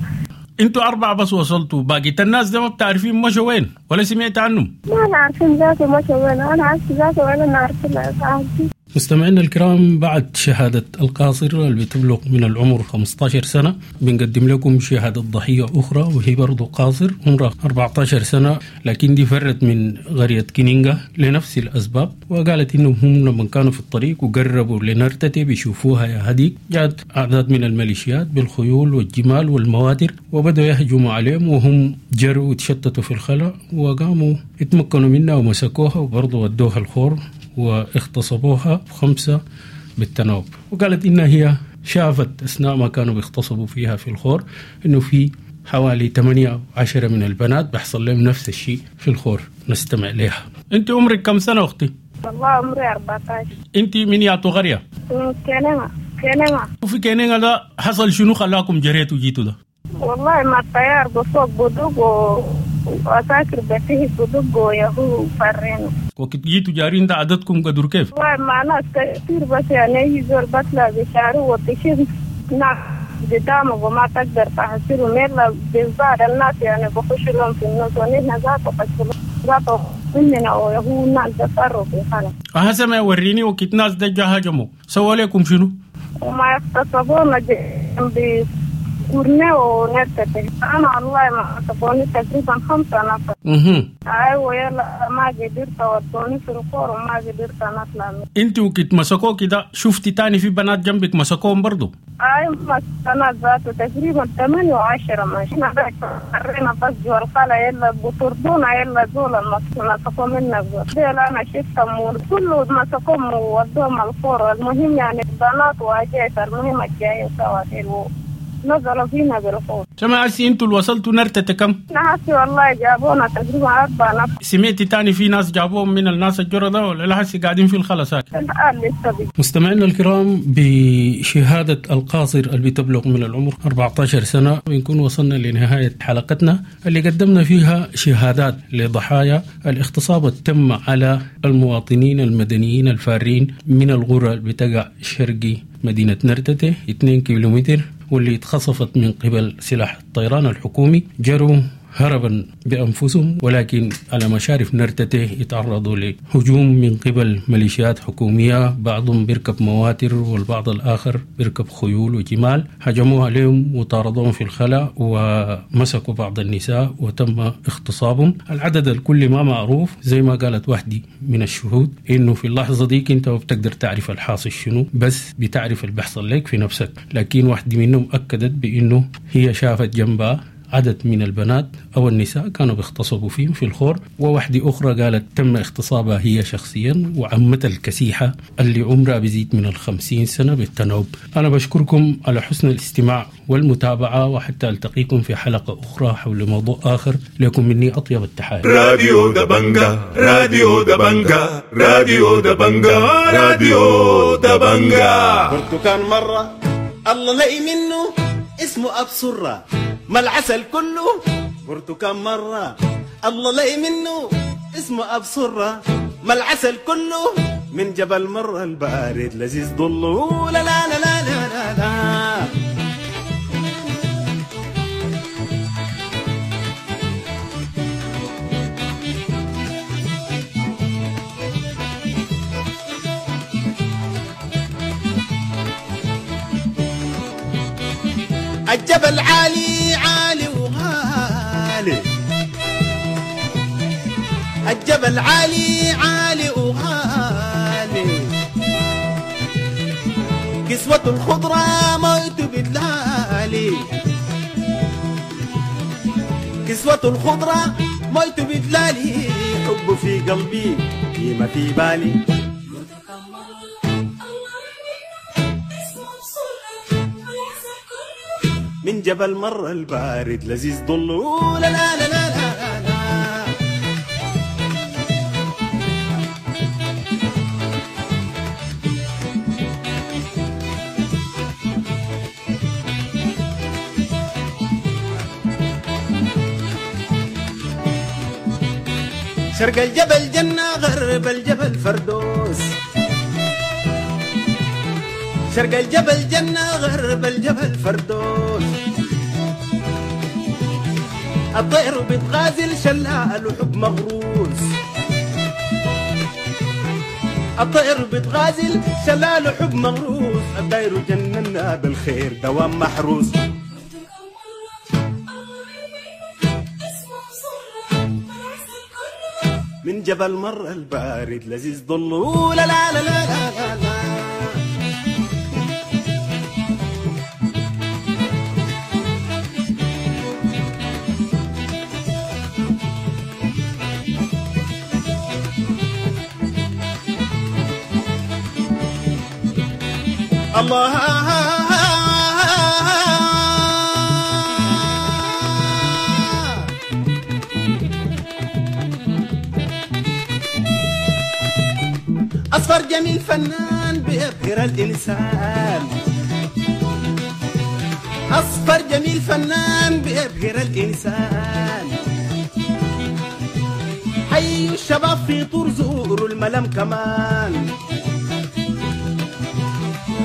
انتوا 4 بس وصلتوا، باقي الناس ده ما بتعرفين مشوا وين ولا سمعت عنهم؟ ما أنا عارفين ذاته مشوا وين، أنا عارفة ذاته ولا أنا عارفة. مستمعينا الكرام، بعد شهادة القاصر اللي بتبلغ من العمر 15 سنة بنقدم لكم شهادة ضحية أخرى، وهي برضو قاصر عمرها 14 سنة، لكن دي فرت من قرية كينينغا لنفس الأسباب، وقالت إنهم هم لما كانوا في الطريق وقربوا لنرتتي بيشوفوها يا هديك، جاءت أعداد من الميليشيات بالخيول والجمال والمواتر وبدأوا يهجموا عليهم، وهم جروا وتشتتوا في الخلاء وقاموا اتمكنوا منها ومسكوها وبرضو ودوها الخور واغتصبوها 5 بالتناوب. وقالت إنها هي شافت أثناء ما كانوا بيغتصبوا فيها في الخور إنه في حوالي 8 أو 10 من البنات بيحصل لهم نفس الشيء في الخور. نستمع لها. أنت عمرك كم سنة أختي؟ والله عمري 14. أنت من ياتو قرية؟ من كينيما. كينيما. وفي كينيما ده حصل شنو خلاكم جريتوا جيتوا ده؟ والله ما الطيار بفوق بدق وعساكر بتيه بدق ويهو فرينا. وقت جيتوا جارين ده عددكم قدر كيف؟ والله مع ناس كثير، بس يعني أي زول بطلع بشعره وتشوف ناس قدامك وما تقدر تحصلهم إلا بالظاهر. الناس يعني بخشوا لهم في النص، ونحن ذاته خشوا ذاته مننا ويهو الناس بفروا في خلا. هسه وريني وقت ناس ده جا هجموا سووا لكم شنو؟ وما اغتصبونا جنب كورني ونرتتي. أنا والله ما اغتصبوني تقريبا 5 نفر. أيوة، يلا ما قدرت، ودوني في الخور وما قدرت أطلع منه. انت وقت مسكوك ده شفتي تاني في بنات جنبك مسكوهم برضو؟ أيوة، مسكنا ذاته تقريبا 8 و10. ماشي مرينا بس جوا الخلا، يلا بطردونا، يلا دول مسكوا منا ديل. أنا شفتهم كله مسكوهم وودوهم الخور. المهم يعني بنات وأجيت، المهم الجايين سوا ديل نزلوا فينا بالخور. سمع هسي انتوا اللي وصلتوا نرتة كم؟ هسي والله جابونا تقريبا 4 نفر. سمعتي تاني في ناس جابوهم من الناس الجرة ده ولا لا هسي قاعدين في الخلا ساكت؟ الآن لسه بي. مستمعينا الكرام، بشهادة القاصر اللي بتبلغ من العمر 14 سنة بنكون وصلنا لنهاية حلقتنا اللي قدمنا فيها شهادات لضحايا الاغتصاب التم على المواطنين المدنيين الفارين من القرى اللي بتقع شرقي مدينة نرتته 2 كيلومتر، واللي اتخصفت من قبل سلاح الطيران الحكومي. جروا هربا بأنفسهم، ولكن على مشارف نرتته يتعرضوا لهجوم من قبل ميليشيات حكومية، بعضهم بيركب مواتر والبعض الآخر بيركب خيول وجمال. هجموا عليهم وطاردوهم في الخلاء ومسكوا بعض النساء وتم اغتصابهم. العدد الكلي ما معروف، زي ما قالت وحدي من الشهود إنه في اللحظة دي انت ما بتقدر تعرف الحاصل شنو، بس بتعرف اللي بيحصل لك في نفسك. لكن واحدة منهم أكدت بإنه هي شافت جنبها عدد من البنات أو النساء كانوا بيغتصبوا فيهم في الخور، وواحدة أخرى قالت تم اغتصابها هي شخصيا وعمتها الكسيحة اللي عمرها بيزيد من 50 سنة بالتناوب. أنا بشكركم على حسن الاستماع والمتابعة، وحتى ألتقيكم في حلقة أخرى حول موضوع آخر. لكم مني أطيب التحايا. راديو دبنجا، راديو دبنجا، راديو دبنجا، راديو دبنجا. برتكان مرة الله لقي منه اسمه أبصرة ما العسل كله. برتكان مرة الله لقي منه اسمه أبصرة ما العسل كله، من جبل مرة البارد لذيذ ضله. لا لا لا لا لا لا. الجبل عالي عالي وغالي، الجبل عالي عالي وغالي، كسوة الخضرة موت بتلالي، كسوة الخضرة موت بتلالي، حب في قلبي قيمة في بالي. من جبل مرة البارد لذيذ ضله. لا لا لا لا لا لا. شرق الجبل جنة، غرب الجبل فردوس، شرق الجبل جنة، غرب الجبل فردوس، الطير بتغازل شلال وحب مغروس. الطير بتغازل شلال حب مغروس، الداير جننا بالخير دوام محروس. من جبل مر البارد لذيذ ضله، لا لا لا لا لا لا. الله أصفر جميل فنان بيبهر الإنسان، أصفر جميل فنان بيبهر الإنسان. حي الشباب في طور زوروا الملم كمان،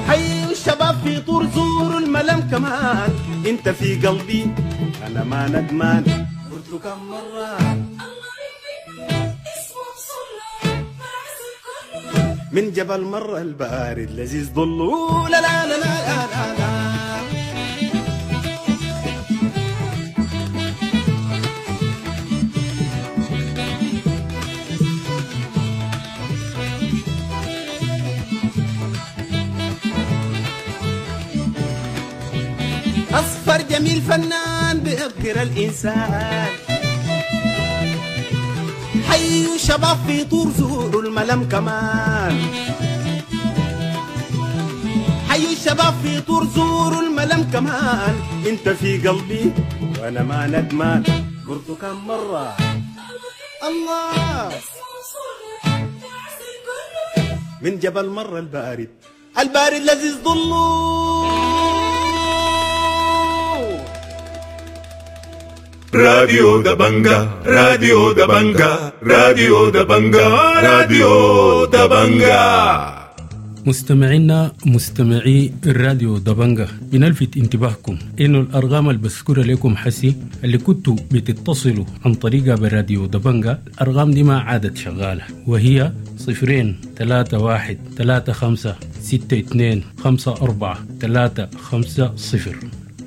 حي الشباب في طور زوروا الملم كمان. انت في قلبي انا ما ندمان، قلت له كم مرة من جبل مرة البارد لذيذ ضله، لا لا لا لا لا لا. أصفر جميل فنان بيبهر الإنسان، حي شباب في طور زوروا الملم كمان، حي الشباب في طور زوروا الملم كمان. انت في قلبي وانا ما ندمان، قلت كم مرة الله من جبل مرة البارد، البارد لذيذ ضله. راديو دبنجا، راديو دبنجا، راديو دبنجا، راديو دبنجا. مستمعينا مستمعي الراديو دبنجا، بنلفت انتباهكم انه الارقام اللي بذكرها لكم حسي اللي كنتوا بتتصلوا عن طريقها بالراديو دبنجا، الارقام دي ما عادت شغاله، وهي 0 3 1 3 5 6 2 5 4 3 5 0،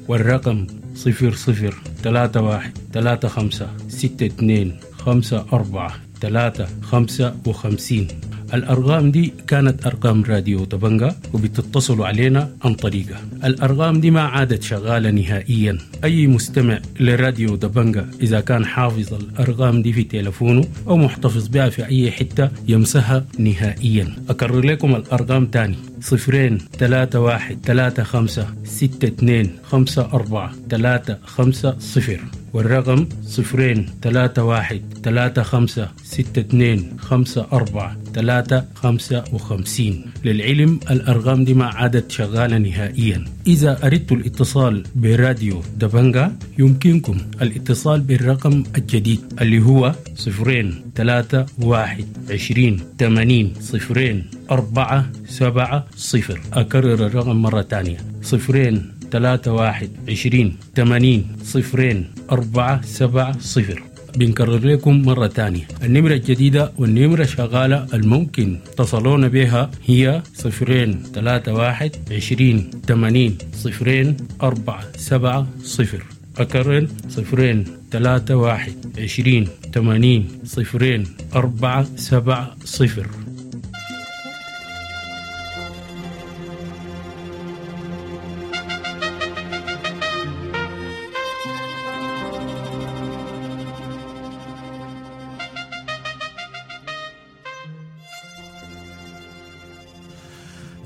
والرقم 0 0 3 1 3 5 6 2 5 4 3 55. الأرقام دي كانت أرقام راديو دبنجا وبتتصلوا علينا عن طريقها. الأرقام دي ما عادت شغالة نهائيا. أي مستمع لراديو دبنجا إذا كان حافظ الأرقام دي في تلفونه أو محتفظ بها في أي حتة يمسها نهائيا. أكرر لكم الأرقام تاني: 0 3 1 3 5 6 2 5 4 3 5 0، والرقم 0 3 1 3 5 6 2 5 4 3 55. للعلم الأرقام دي ما عادت شغالة نهائيا. إذا أردتوا الاتصال براديو دبنجا يمكنكم الاتصال بالرقم الجديد اللي هو 0 3 1 20 80 0 4 7 0. أكرر الرقم مرة تانية: 0 3 1 20 80 0 4 7 0. بنكرر لكم مرة تانية النمرة الجديدة والنمرة شغالة الممكن تصلون بها هي 0 3 1 20 80 0 4 7 0. أكرر 0 3 1 20 80 0 4 7 0.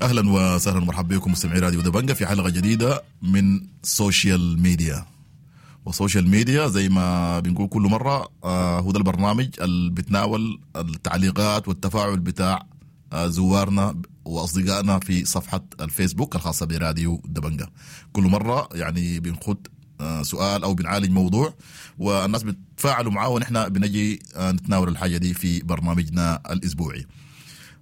اهلا وسهلا ومرحبا بكم مستمعي راديو دبنجا في حلقه جديده من social media. و social media زي ما بنقول كل مره هو ده البرنامج اللي بتناول التعليقات والتفاعل بتاع زوارنا واصدقائنا في صفحه الفيسبوك الخاصه براديو دبنجا. كل مره يعني بنخد سؤال او بنعالج موضوع والناس بتفاعلوا معاه، ونحن بنجي نتناول الحاجه دي في برنامجنا الاسبوعي.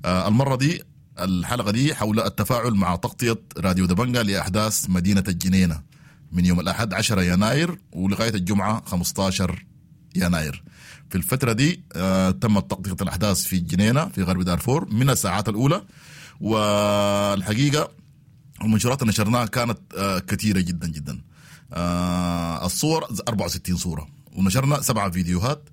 المره دي الحلقة دي حول التفاعل مع تغطية راديو دبنجا لأحداث مدينة الجنينة من يوم الأحد 10 يناير ولغاية الجمعة 15 يناير. في الفترة دي تمت تغطية الأحداث في الجنينة في غرب دارفور من الساعات الأولى، والحقيقة المنشورات اللي نشرناها كانت كثيرة جدا جدا. الصور 64 صورة، ونشرنا 7 فيديوهات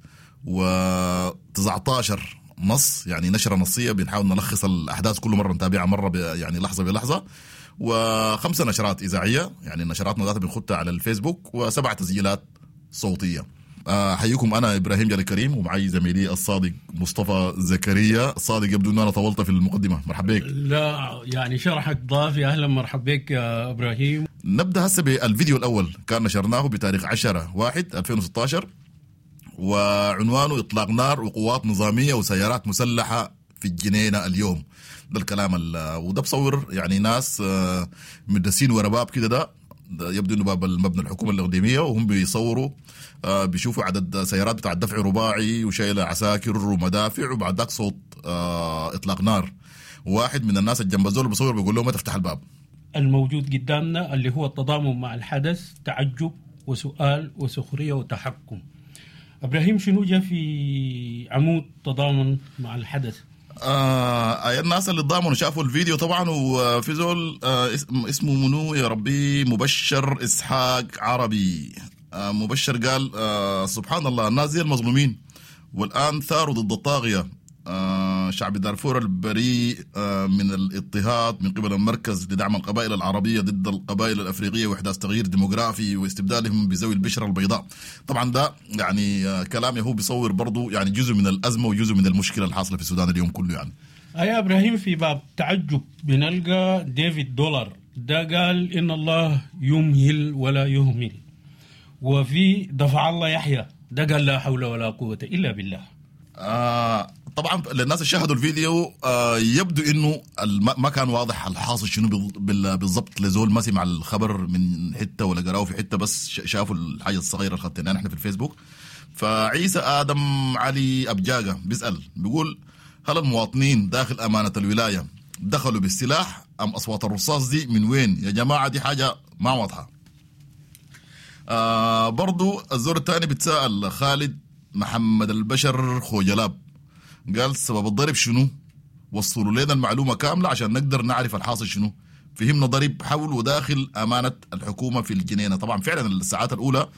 و19 نص، يعني نشرة نصية بنحاول نلخص الأحداث كل مرة نتابعها مرة يعني لحظة بلحظة، و5 نشرات إذاعية، يعني نشراتنا ذاتها بنخطها على الفيسبوك، و7 تسجيلات صوتية. أحييكم أنا إبراهيم جلال الكريم، ومعي زميلي الصادق مصطفى زكريا. الصادق يبدو أن أنا طولت في المقدمة، مرحبا بك. لا يعني شرحك ضافي، أهلا مرحبا بك يا إبراهيم. نبدأ هسه بالفيديو الأول، كان نشرناه بتاريخ 10/1/2016، وعنوانه إطلاق نار وقوات نظامية وسيارات مسلحة في الجنينة اليوم. ده الكلام وده بصور يعني ناس مدسين ورا باب كده، ده يبدو انه باب المبنى الحكومة الاقليمية، وهم بيصوروا بيشوفوا عدد سيارات بتاع الدفع رباعي وشايله عساكر ومدافع، وبعد ذاك صوت اطلاق نار. واحد من الناس الجنب زول بيصور بيقول له ما تفتح الباب. الموجود قدامنا اللي هو التضامن مع الحدث، تعجب وسؤال وسخرية وتحكم. ابراهيم شنو جاء في عمود تضامن مع الحدث؟ الناس اللي تضامنوا شافوا الفيديو طبعا، وفي زول اسمه منو يا ربي، مبشر اسحاق عربي. مبشر قال سبحان الله، الناس دي المظلومين والآن ثاروا ضد الطاغية. شعب دارفور البريء من الاضطهاد من قبل المركز لدعم القبائل العربية ضد القبائل الأفريقية وإحداث تغيير ديموغرافي واستبدالهم بذوي البشرة البيضاء. طبعا ده يعني كلام هو بيصور برضو يعني جزء من الأزمة وجزء من المشكلة الحاصلة في السودان اليوم كله. يعني يا إبراهيم في باب تعجب بنلقى ديفيد دولار، ده قال إن الله يمهل ولا يهمل. وفي دفع الله يحيى، ده قال لا حول ولا قوة إلا بالله. طبعا للناس اللي شاهدوا الفيديو يبدو انه ما كان واضح الحاصل شنو بالضبط، لزول ما سمع الخبر من حتة ولا قراه في حتة، بس شافوا الحاجة الصغيرة اللي خدناها نحن في الفيسبوك. فعيسى ادم علي ابجاجه بيسال بيقول هل المواطنين داخل امانه الولاية دخلوا بالسلاح ام اصوات الرصاص دي من وين يا جماعة؟ دي حاجة ما واضحة. برضو الزور الثاني بتسأل خالد محمد البشر خوجلاب، قال سبب الضرب شنو؟ وصلوا لنا المعلومة كاملة عشان نقدر نعرف الحاصل شنو. فهمنا ضرب حول وداخل أمانة الحكومة في الجنينة. طبعا فعلا الساعات الأولى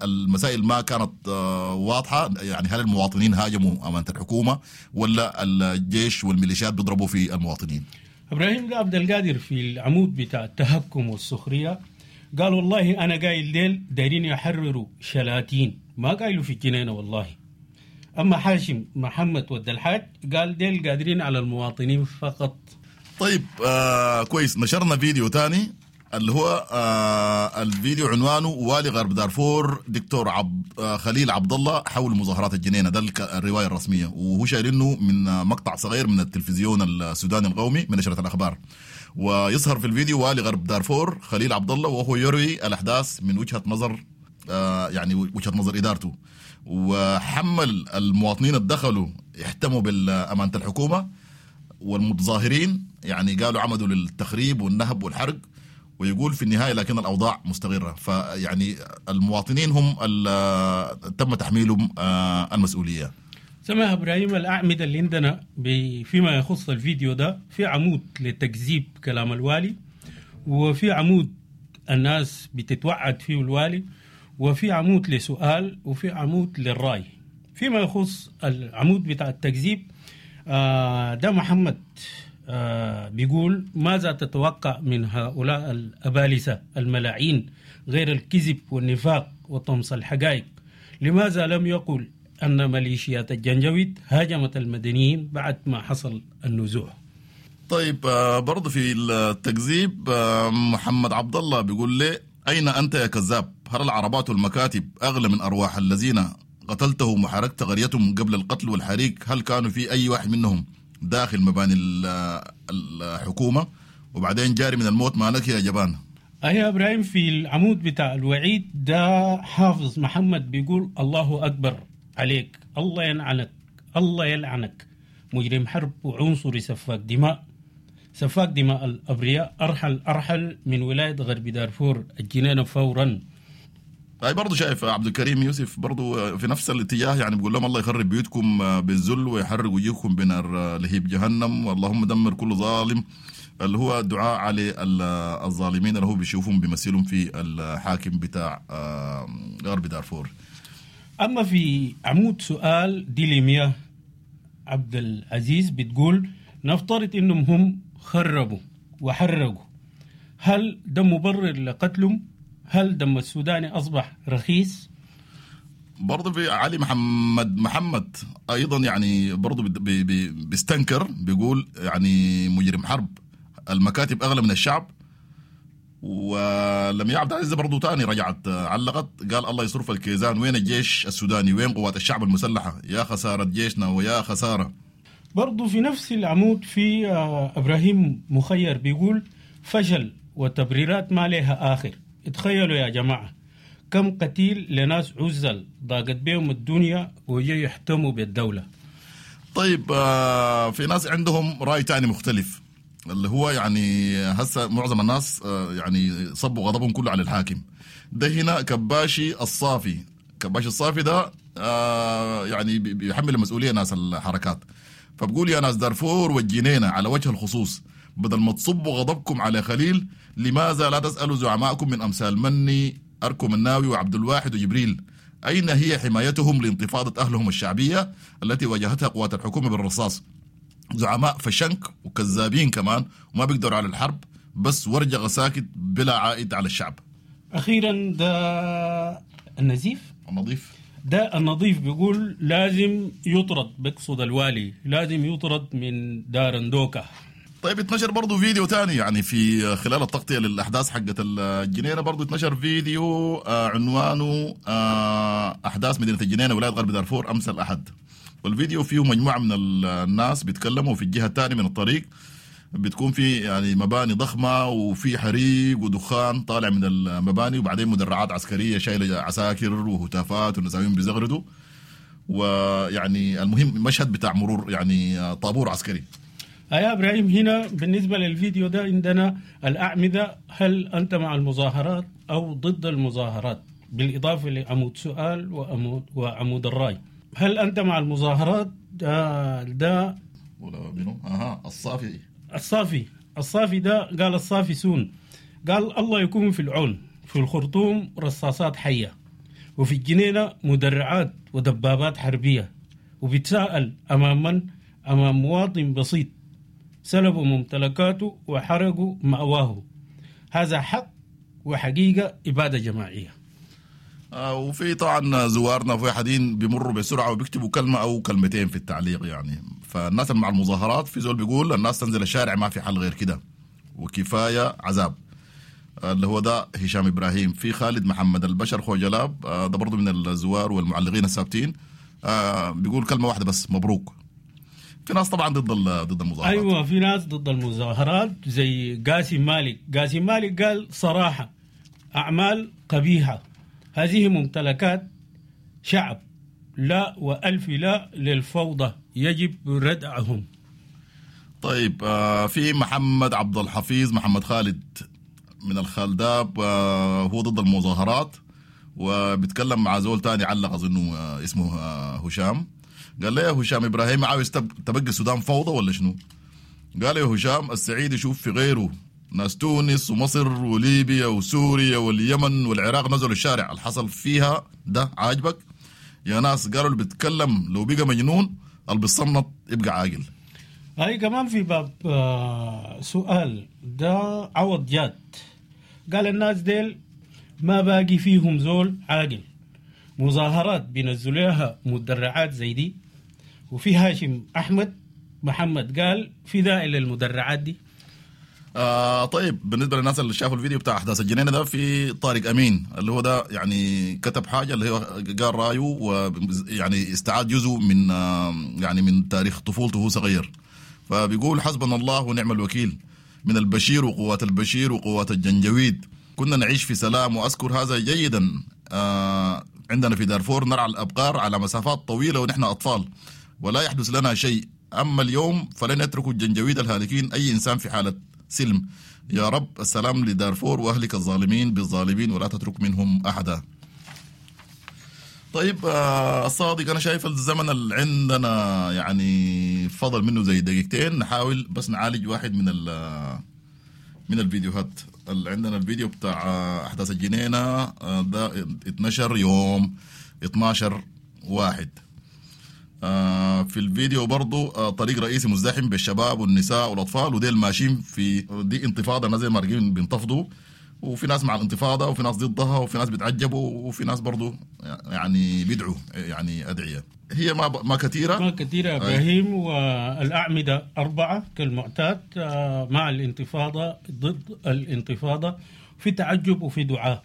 المسائل ما كانت واضحة، يعني هل المواطنين هاجموا أمانة الحكومة ولا الجيش والميليشيات بيضربوا في المواطنين؟ إبراهيم ده عبد القادر في العمود بتاع التهكم والسخرية قال والله أنا قايل ديل دايرين يحرروا شلاتين، ما قايلوا في الجنينة والله. أما حاشم محمد ود الحاج قال ديل قادرين على المواطنين فقط. طيب كويس. نشرنا فيديو تاني اللي هو الفيديو عنوانه والي غرب دارفور دكتور خليل عبد الله حول مظاهرات الجنينة. ده الرواية الرسمية، وهو شايلينه من مقطع صغير من التلفزيون السوداني القومي من نشرة الأخبار. ويظهر في الفيديو والي غرب دارفور خليل عبد الله وهو يروي الأحداث من وجهة نظر يعني وجهة نظر إدارته، وحمل المواطنين اللي دخلوا احتموا بالأمانة الحكومة والمتظاهرين، يعني قالوا عمدوا للتخريب والنهب والحرق، ويقول في النهاية لكن الأوضاع مستقرة. فيعني المواطنين هم تم تحميلهم المسؤولية. سمع إبراهيم الأعمدة اللي عندنا فيما يخص الفيديو ده، في عمود لتكذيب كلام الوالي، وفي عمود الناس بتتوعد فيه الوالي، وفي عمود لسؤال، وفي عمود للرأي. فيما يخص العمود بتاع التكذيب ده محمد بيقول ماذا تتوقع من هؤلاء الأبالسة الملاعين غير الكذب والنفاق وطمس الحقائق؟ لماذا لم يقل أن ميليشيات الجنجويد هاجمت المدنيين بعد ما حصل النزوح؟ طيب برضو في التكذيب محمد عبد الله بيقول لي أين أنت يا كذاب؟ هل العربات والمكاتب أغلى من أرواح الذين قتلتهم وحرقت قريتهم قبل القتل والحريق؟ هل كانوا في أي واحد منهم داخل مباني الحكومة؟ وبعدين جاري من الموت مالك يا جبان. أي إبراهيم في العمود بتاع الوعيد ده حافظ محمد بيقول الله أكبر عليك، الله يلعنك، الله يلعنك، مجرم حرب وعنصري سفاك دماء، سفاك دماء الأبرياء، أرحل أرحل من ولاية غرب دارفور الجنينة فورا. اي برضه شايف عبد الكريم يوسف برضه في نفس الاتجاه، يعني بيقول لهم الله يخرب بيوتكم بالذل ويحرق وجوهكم بنار لهيب جهنم، واللهم دمر كل ظالم، اللي هو دعاء على الظالمين اللي هو بيشوفهم بيمثلهم في الحاكم بتاع غرب دارفور. أما في عمود سؤال ديليميا عبد العزيز بتقول نفترض إنهم هم خربوا وحرقوا، هل ده مبرر لقتلهم؟ هل دم السوداني أصبح رخيص؟ برضه في علي محمد أيضا يعني برضه بيستنكر، بيقول يعني مجرم حرب، المكاتب أغلى من الشعب. ولم يعبد العزيز برضه تاني رجعت علقت قال الله يصرف الكيزان، وين الجيش السوداني، وين قوات الشعب المسلحة، يا خسارة جيشنا ويا خسارة. برضه في نفس العمود في إبراهيم مخير بيقول فشل وتبريرات ما لها آخر. اتخيلوا يا جماعة كم قتيل لناس عزل ضاقت بهم الدنيا وجي يحتموا بالدولة. طيب في ناس عندهم رأي تاني مختلف، اللي هو يعني هسه معظم الناس يعني صبوا غضبهم كله على الحاكم ده. هنا كباشي الصافي، كباشي الصافي ده يعني بيحمل المسؤولية ناس الحركات، فبقول يا ناس دارفور والجنينة على وجه الخصوص، بدل ما تصبوا غضبكم على خليل لماذا لا تسألوا زعماءكم من أمثال مني أركو مناوي وعبد الواحد وجبريل أين هي حمايتهم لانتفاضة أهلهم الشعبية التي واجهتها قوات الحكومة بالرصاص؟ زعماء فشنك وكذابين كمان وما بيقدروا على الحرب، بس ورجغ ساكت بلا عائد على الشعب. أخيرا ده النزيف النظيف، ده النظيف بيقول لازم يطرد، بيقصد الوالي لازم يطرد من دارندوكا. طيب اتنشر برضو فيديو تاني يعني في خلال التغطية للأحداث حقت الجنينة، برضو اتنشر فيديو عنوانه أحداث مدينة الجنينة ولاية غرب دارفور أمس الأحد. والفيديو فيه مجموعة من الناس بيتكلموا. في الجهة الثانية من الطريق بتكون في يعني مباني ضخمة وفي حريق ودخان طالع من المباني، وبعدين مدرعات عسكرية شايلة عساكر وهتافات والنساوين بيزغردوا، ويعني المهم مشهد بتاع مرور يعني طابور عسكري. يا إبراهيم هنا بالنسبة للفيديو ده عندنا الأعمدة، هل أنت مع المظاهرات أو ضد المظاهرات؟ بالإضافة لعمود سؤال وعمود الرأي. هل أنت مع المظاهرات؟ ده ولا منو؟ أها الصافي، الصافي ده قال الصافي سون، قال الله يكون في العون، في الخرطوم رصاصات حية، وفي الجنينة مدرعات ودبابات حربية، وبيتساءل أمام من؟ أمام مواطن بسيط سلبوا ممتلكاته وحرقوا مأواه. هذا حق وحقيقة إبادة جماعية. وفي طبعا زوارنا في حدين بيمروا بسرعة وبيكتبوا كلمة أو كلمتين في التعليق يعني. فالناس مع المظاهرات في زول بيقول الناس تنزل الشارع ما في حل غير كده وكفاية عذاب، اللي هو ده هشام إبراهيم. في خالد محمد البشر خوجلاب، ده برضو من الزوار والمعلقين الثابتين، بيقول كلمة واحدة بس، مبروك. في ناس طبعا ضد المظاهرات. ايوه في ناس ضد المظاهرات زي قاسم مالك. قاسم مالك قال صراحة أعمال قبيحة، هذه ممتلكات شعب، لا وألف لا للفوضى، يجب ردعهم. طيب في محمد عبد الحفيظ محمد خالد من الخالداب، هو ضد المظاهرات وبيتكلم مع زول تاني علق أظنه اسمه هشام. قال له يا هشام إبراهيم عاوز تبقي السودان فوضى ولا شنو؟ قال يا هشام السعيد يشوف في غيره، ناس تونس ومصر وليبيا وسوريا واليمن والعراق نزلوا الشارع، الحصل فيها ده عاجبك يا ناس؟ قالوا اللي بيتكلم لو بقى مجنون اللي بيصنط يبقى عاقل. هاي كمان في باب سؤال ده عوض جاد، قال الناس ديل ما باقي فيهم زول عاقل، مظاهرات بينزلوها مدرعات زي دي. وفي هاشم أحمد محمد قال في داعي للمدرعات دي. طيب بالنسبة للناس اللي شافوا الفيديو بتاع أحداث الجنينة ده، في طارق أمين اللي هو ده يعني كتب حاجة اللي هو قال رأيه ويعني استعاد جزء من يعني من تاريخ طفولته وهو صغير. فبيقول حسبنا الله ونعم الوكيل من البشير وقوات البشير وقوات الجنجويد، كنا نعيش في سلام وأذكر هذا جيدا. عندنا في دارفور نرعى الأبقار على مسافات طويلة ونحن أطفال ولا يحدث لنا شيء، أما اليوم فلن يتركوا الجنجويد الهالكين أي إنسان في حالة سلم. يا رب السلام لدارفور وأهلك الظالمين بالظالمين ولا تترك منهم أحدا. طيب الصادق، انا شايف الزمن اللي عندنا يعني فضل منه زي دقيقتين، نحاول بس نعالج واحد من الفيديوهات اللي عندنا. الفيديو بتاع احداث الجنينة ده اتنشر يوم 12/1. في الفيديو برضو طريق رئيسي مزدحم بالشباب والنساء والاطفال، وديل ماشيين في دي انتفاضة، ناس زي مارقين بينتفضوا، وفي ناس مع الانتفاضة وفي ناس ضدها وفي ناس بيتعجبوا وفي ناس برضو يعني بيدعوا يعني ادعية. هي ما كثيرة، ما كثيرة ابراهيم. والاعمده 4 كالمعتاد، مع الانتفاضة، ضد الانتفاضة، في تعجب وفي دعاء.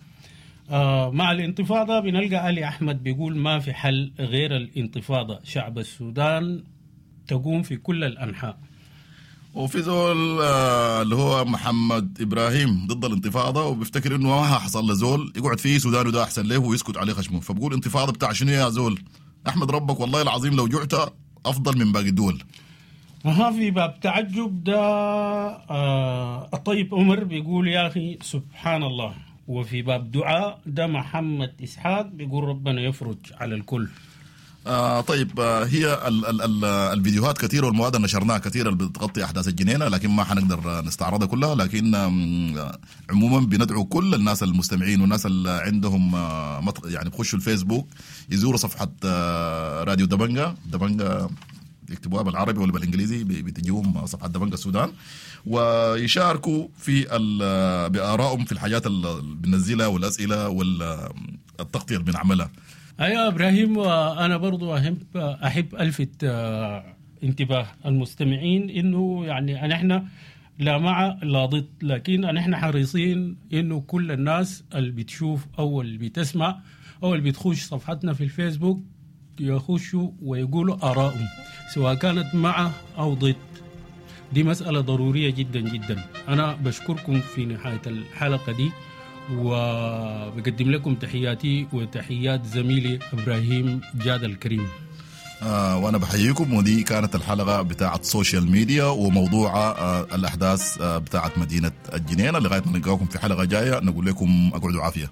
مع الانتفاضة بنلقى علي أحمد بيقول ما في حل غير الانتفاضة، شعب السودان تقوم في كل الأنحاء. وفي زول اللي هو محمد إبراهيم ضد الانتفاضة، وبيفتكر إنه ما حصل لزول يقعد فيه سودانه ده أحسن له ويسكت عليه خشمه، فبقول انتفاضة بتاع شنو يا زول؟ أحمد ربك والله العظيم لو جعت أفضل من باقي الدول. ها في باب تعجب ده الطيب عمر بيقول يا أخي سبحان الله. وفي باب دعاء ده محمد إسحاق بيقول ربنا يفرج على الكل. طيب هي ال ال ال الفيديوهات كثيرة والمواد اللي نشرناها كثيرة اللي بتغطي أحداث الجنينة، لكن ما حنقدر نستعرضها كلها. لكن عموما بندعو كل الناس المستمعين والناس اللي عندهم يعني بخشوا الفيسبوك يزوروا صفحة راديو دبنجا، دبنجا يكتبوها بالعربي ولا بالانجليزي بتجيهم صفحة دبنجا السودان، ويشاركوا في بارائهم في الحاجات اللي بننزلها والاسئلة والتغطيه اللي بنعملها. ايوه ابراهيم، وانا برضو احب الفت انتباه المستمعين انه يعني نحن لا مع لا ضد، لكن نحن حريصين انه كل الناس اللي بتشوف او اللي بتسمع او اللي بتخش صفحتنا في الفيسبوك يخشوا ويقولوا آرائهم سواء كانت مع أو ضد. دي مسألة ضرورية جدا جدا. أنا بشكركم في نهاية الحلقة دي، وبقدم لكم تحياتي وتحيات زميلي إبراهيم جاد الكريم. وأنا بحييكم. ودي كانت الحلقة بتاعة social media وموضوع الأحداث بتاعة مدينة الجنينة. لغاية ما نلقاكم في حلقة جاية نقول لكم أقعدوا عافية.